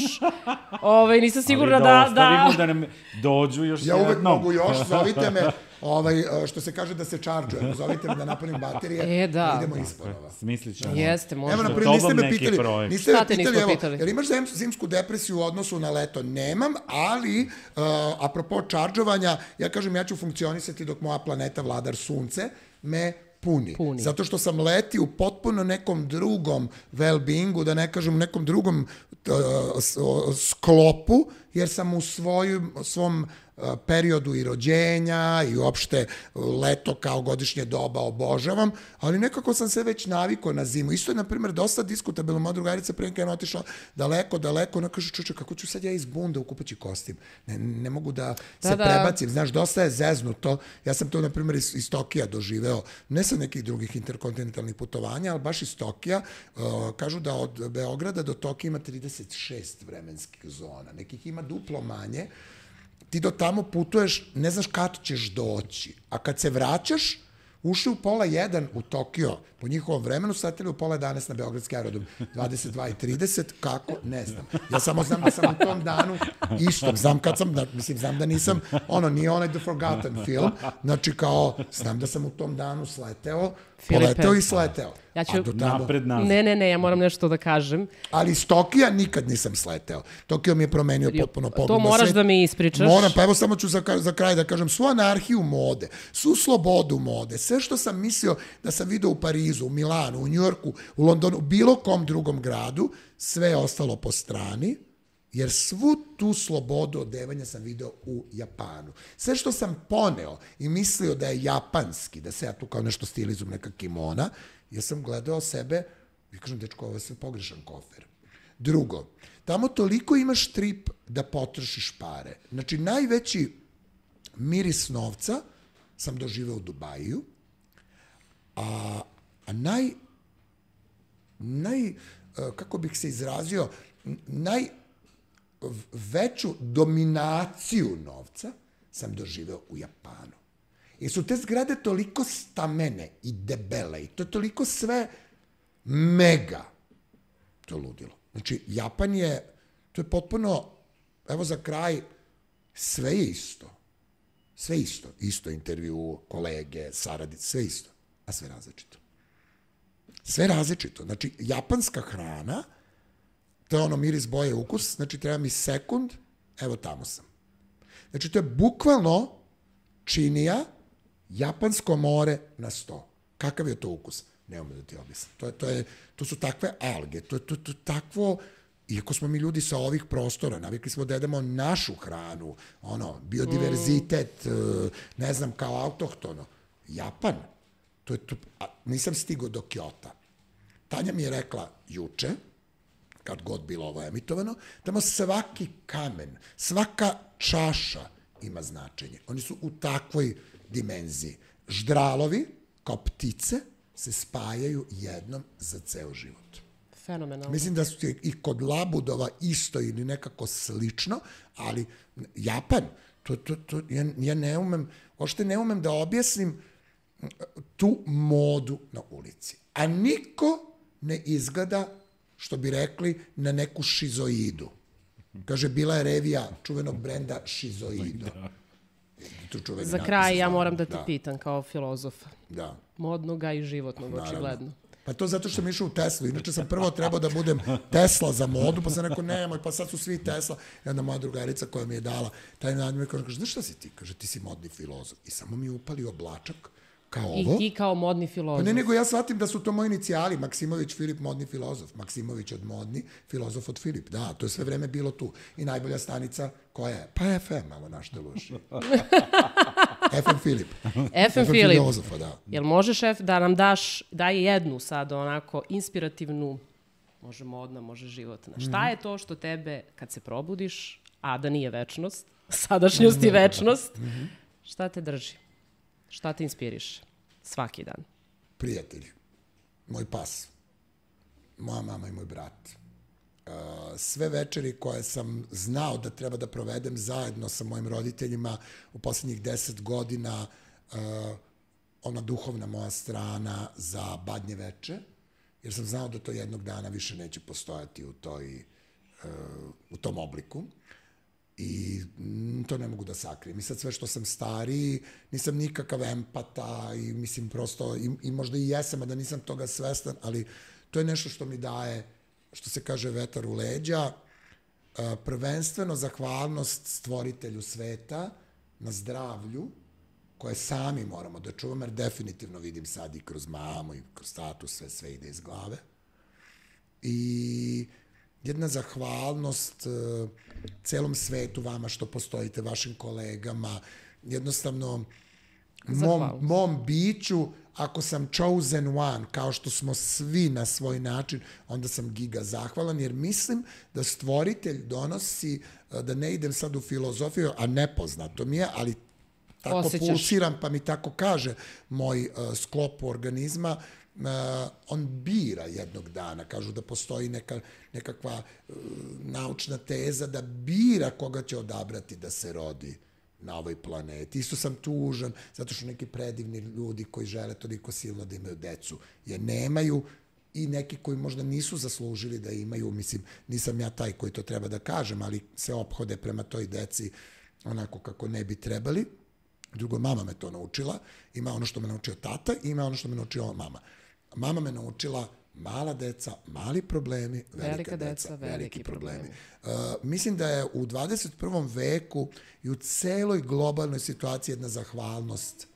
Ove, nisam sigurna da... Ali da ostavimo da nam dođu još ja jednom. uvek mogu još, zovite me, ovaj, što se kaže da se čarđujem, zovite me da napunim baterije, e, da. idemo isporova. Smislit ćemo. Jeste, možda. Evo, naprijed, niste me pitali, projekt. niste me pitali, pitali, evo, pitali? jer imaš zimsku depresiju u odnosu na leto? Nemam, ali, uh, apropo čarđovanja, ja kažem, ja ću funkcionisati dok moja planeta Vladar Sunce me Puni. Puni. Zato što sam leti u potpuno nekom drugom well-beingu, da ne kažem nekom drugom uh, sklopu, jer sam u svoju, svom uh, periodu i rođenja i uopšte leto kao godišnje doba obožavam, ali nekako sam se već navikao na zimu. Isto je, na primjer, dosta diskutabilno. Moja drugarica prije nekada je otišla daleko, daleko, ona kaže, čuče, kako ću sad ja iz bunda u kupaći kostim? Ne, ne mogu da se da, da. prebacim. Znaš, dosta je zeznuto. Ja sam to, na primjer, iz, iz Tokija doživeo, ne sa nekih drugih interkontinentalnih putovanja, ali baš iz Tokija. Uh, kažu da od Beograda do Tokija ima trideset šest vremenskih zona. Nekih ima duplo manje. Ti do tamo putuješ, ne znaš kad ćeš doći. A kad se vraćaš, ušli u pola jedan u Tokio, po njihovom vremenu, sateli u pola jedanaest na Beogradski aerodrom, dvadeset dva i trideset, kako? Ne znam. Ja samo znam da sam u tom danu isto, znam kad sam, da, mislim, znam da nisam, ono, nije onaj The Forgotten film, znači kao, znam da sam u tom danu sleteo, Poleteo i sleteo. Ja ću... tamo... Napred nazad. Ne, ne, ne, ja moram nešto da kažem. Ali iz Tokija nikad nisam sleteo. Tokio mi je promenio potpuno pogled. To moraš da mi ispričaš. Moram, pa evo samo ću za, za kraj da kažem, svu anarhiju mode, svu slobodu mode, sve što sam mislio da sam vidio u Parizu, u Milanu, u Njujorku, u Londonu, u bilo kom drugom gradu, sve je ostalo po strani, jer svu tu slobodu odevanja sam video u Japanu. Sve što sam poneo i mislio da je japanski, da se ja tu kao nešto stilizujem, neka kimona, ja sam gledao sebe i kažem, dečko, ovo je sve pogrešan kofer. Drugo, tamo toliko imaš trip da potrošiš pare. Znači, najveći miris novca sam doživeo u Dubaju, a, a naj, naj, kako bih se izrazio, naj, veću dominaciju novca sam doživeo u Japanu. Jer su te zgrade toliko stamene i debele i to je toliko sve mega. To je ludilo. Znači, Japan je, to je potpuno, evo za kraj, sve je isto. Sve isto. Isto intervju, kolege, saradice, sve isto. A sve različito. Sve različito. Znači, japanska hrana, to je ono miris, boje, ukus, znači treba mi sekund, evo tamo sam. Znači to je bukvalno činija, japansko more na sto. Kakav je to ukus? Ne umem da ti objasnim. To, je, to, je, to su takve alge, to je to, to, takvo, iako smo mi ljudi sa ovih prostora, navikli smo da jedemo našu hranu, ono, biodiverzitet, mm. ne znam, kao autohtono. Japan, to je to, a, nisam stigao do Kyota. Tanja mi je rekla juče, kad god bilo ovo emitovano, tamo svaki kamen, svaka čaša ima značenje. Oni su u takvoj dimenziji. Ždralovi, kao ptice, se spajaju jednom za ceo život. Fenomenalno. Mislim da su i kod labudova isto ili nekako slično, ali Japan, to, to, to, ja, ja ne umem, ošte ne umem da objasnim tu modu na ulici. A niko ne izgleda, što bi rekli, na neku šizoidu. Kaže, bila je revija čuvenog brenda Šizoido. Za kraj ja moram da te da. pitam kao filozofa. Da. Modnoga i životnog, naravno. Očigledno. Pa to zato što sam išao u Teslu. Inače sam prvo trebao da budem Tesla za modu, pa sam rekao, nemoj, pa sad su svi Tesla. I onda moja drugarica koja mi je dala taj nadimik, kaže, znaš šta si ti? Kaže, ti si modni filozof. I samo mi je upalio oblačak. Kao ovo. I ti kao modni filozof. Pa ne, nego ja shvatim da su to moji inicijali. Maksimović, Filip, modni filozof. Maksimović od modni, filozof od Filip. Da, to je sve vreme bilo tu. I najbolja stanica koja je? Pa F M, malo našte loši. F M Filip. F M Filip. Filozofa, da. Jel možeš, šef, da nam daš, daj jednu sad onako inspirativnu, može modna, može životna. Šta mm-hmm. je to što tebe, kad se probudiš, a da nije večnost, sadašnjost i večnost, mm-hmm. šta te drži? Šta te inspiriše svaki dan? Prijatelji. Moj pas. Moja mama i moj brat. Sve večeri koje sam znao da treba da provedem zajedno sa mojim roditeljima u poslednjih deset godina, ona duhovna moja strana za badnje veče, jer sam znao da to jednog dana više neće postojati u, toj, u tom obliku. I to ne mogu da sakrijem. I sad sve što sam stariji, nisam nikakav empata i mislim prosto, i, i možda i jesam, a da nisam toga svestan, ali to je nešto što mi daje, što se kaže, vetar u leđa, prvenstveno zahvalnost stvoritelju sveta na zdravlju, koje sami moramo da čuvamo, jer definitivno vidim sad i kroz mamu i kroz tatu, sve, sve ide iz glave. I jedna zahvalnost uh, celom svetu, vama što postojite, vašim kolegama, jednostavno mom, mom biću, ako sam chosen one, kao što smo svi na svoj način, onda sam giga zahvalan, jer mislim da stvoritelj donosi, uh, da ne idem sad u filozofiju, a nepoznato mi je, ali tako osjećaš. Pulsiram, pa mi tako kaže moj uh, sklop organizma, Uh, on bira jednog dana, kažu da postoji neka, nekakva uh, naučna teza da bira koga će odabrati da se rodi na ovoj planeti. Isto sam tužan, zato što neki predivni ljudi koji žele toliko silno da imaju decu, je nemaju, i neki koji možda nisu zaslužili da imaju, mislim, nisam ja taj koji to treba da kažem, ali se ophode prema toj deci onako kako ne bi trebali. Drugo, mama me to naučila. Ima ono što me naučio tata i ima ono što me naučila mama. Mama me naučila mala deca, mali problemi, velika, velika deca, deca, veliki, veliki problemi. problemi. Uh, mislim da je u dvadeset prvom veku i u celoj globalnoj situaciji jedna zahvalnost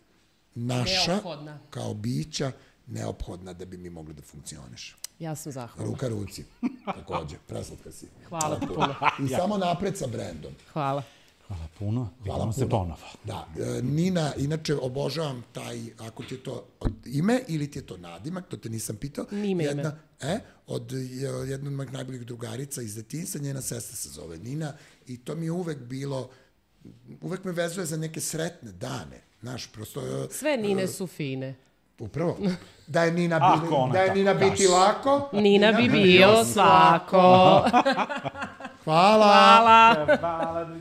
naša, neophodna. Kao bića, neophodna da bi mi mogli da funkcioniš. Ja sam zahvalna. Ruka ruci, takođe, preslatka si. Hvala puno. I samo napred sa brendom. Hvala. Hvala puno, vidimo se ponovo. Da, Nina, inače obožavam taj, ako ti je to ime ili ti je to nadimak, to te nisam pitao. Ime jedna, ime. E, od jedna od mojih najboljih drugarica iz detinjstva, njena sestra se zove Nina i to mi je uvek bilo, uvek me vezuje za neke sretne dane. Znaš, prosto... Sve Nine su fine. Upravo. Da je Nina, bi, da je Nina biti lako. Nina, Nina bi bio svako. Hvala. Hvala. Hvala.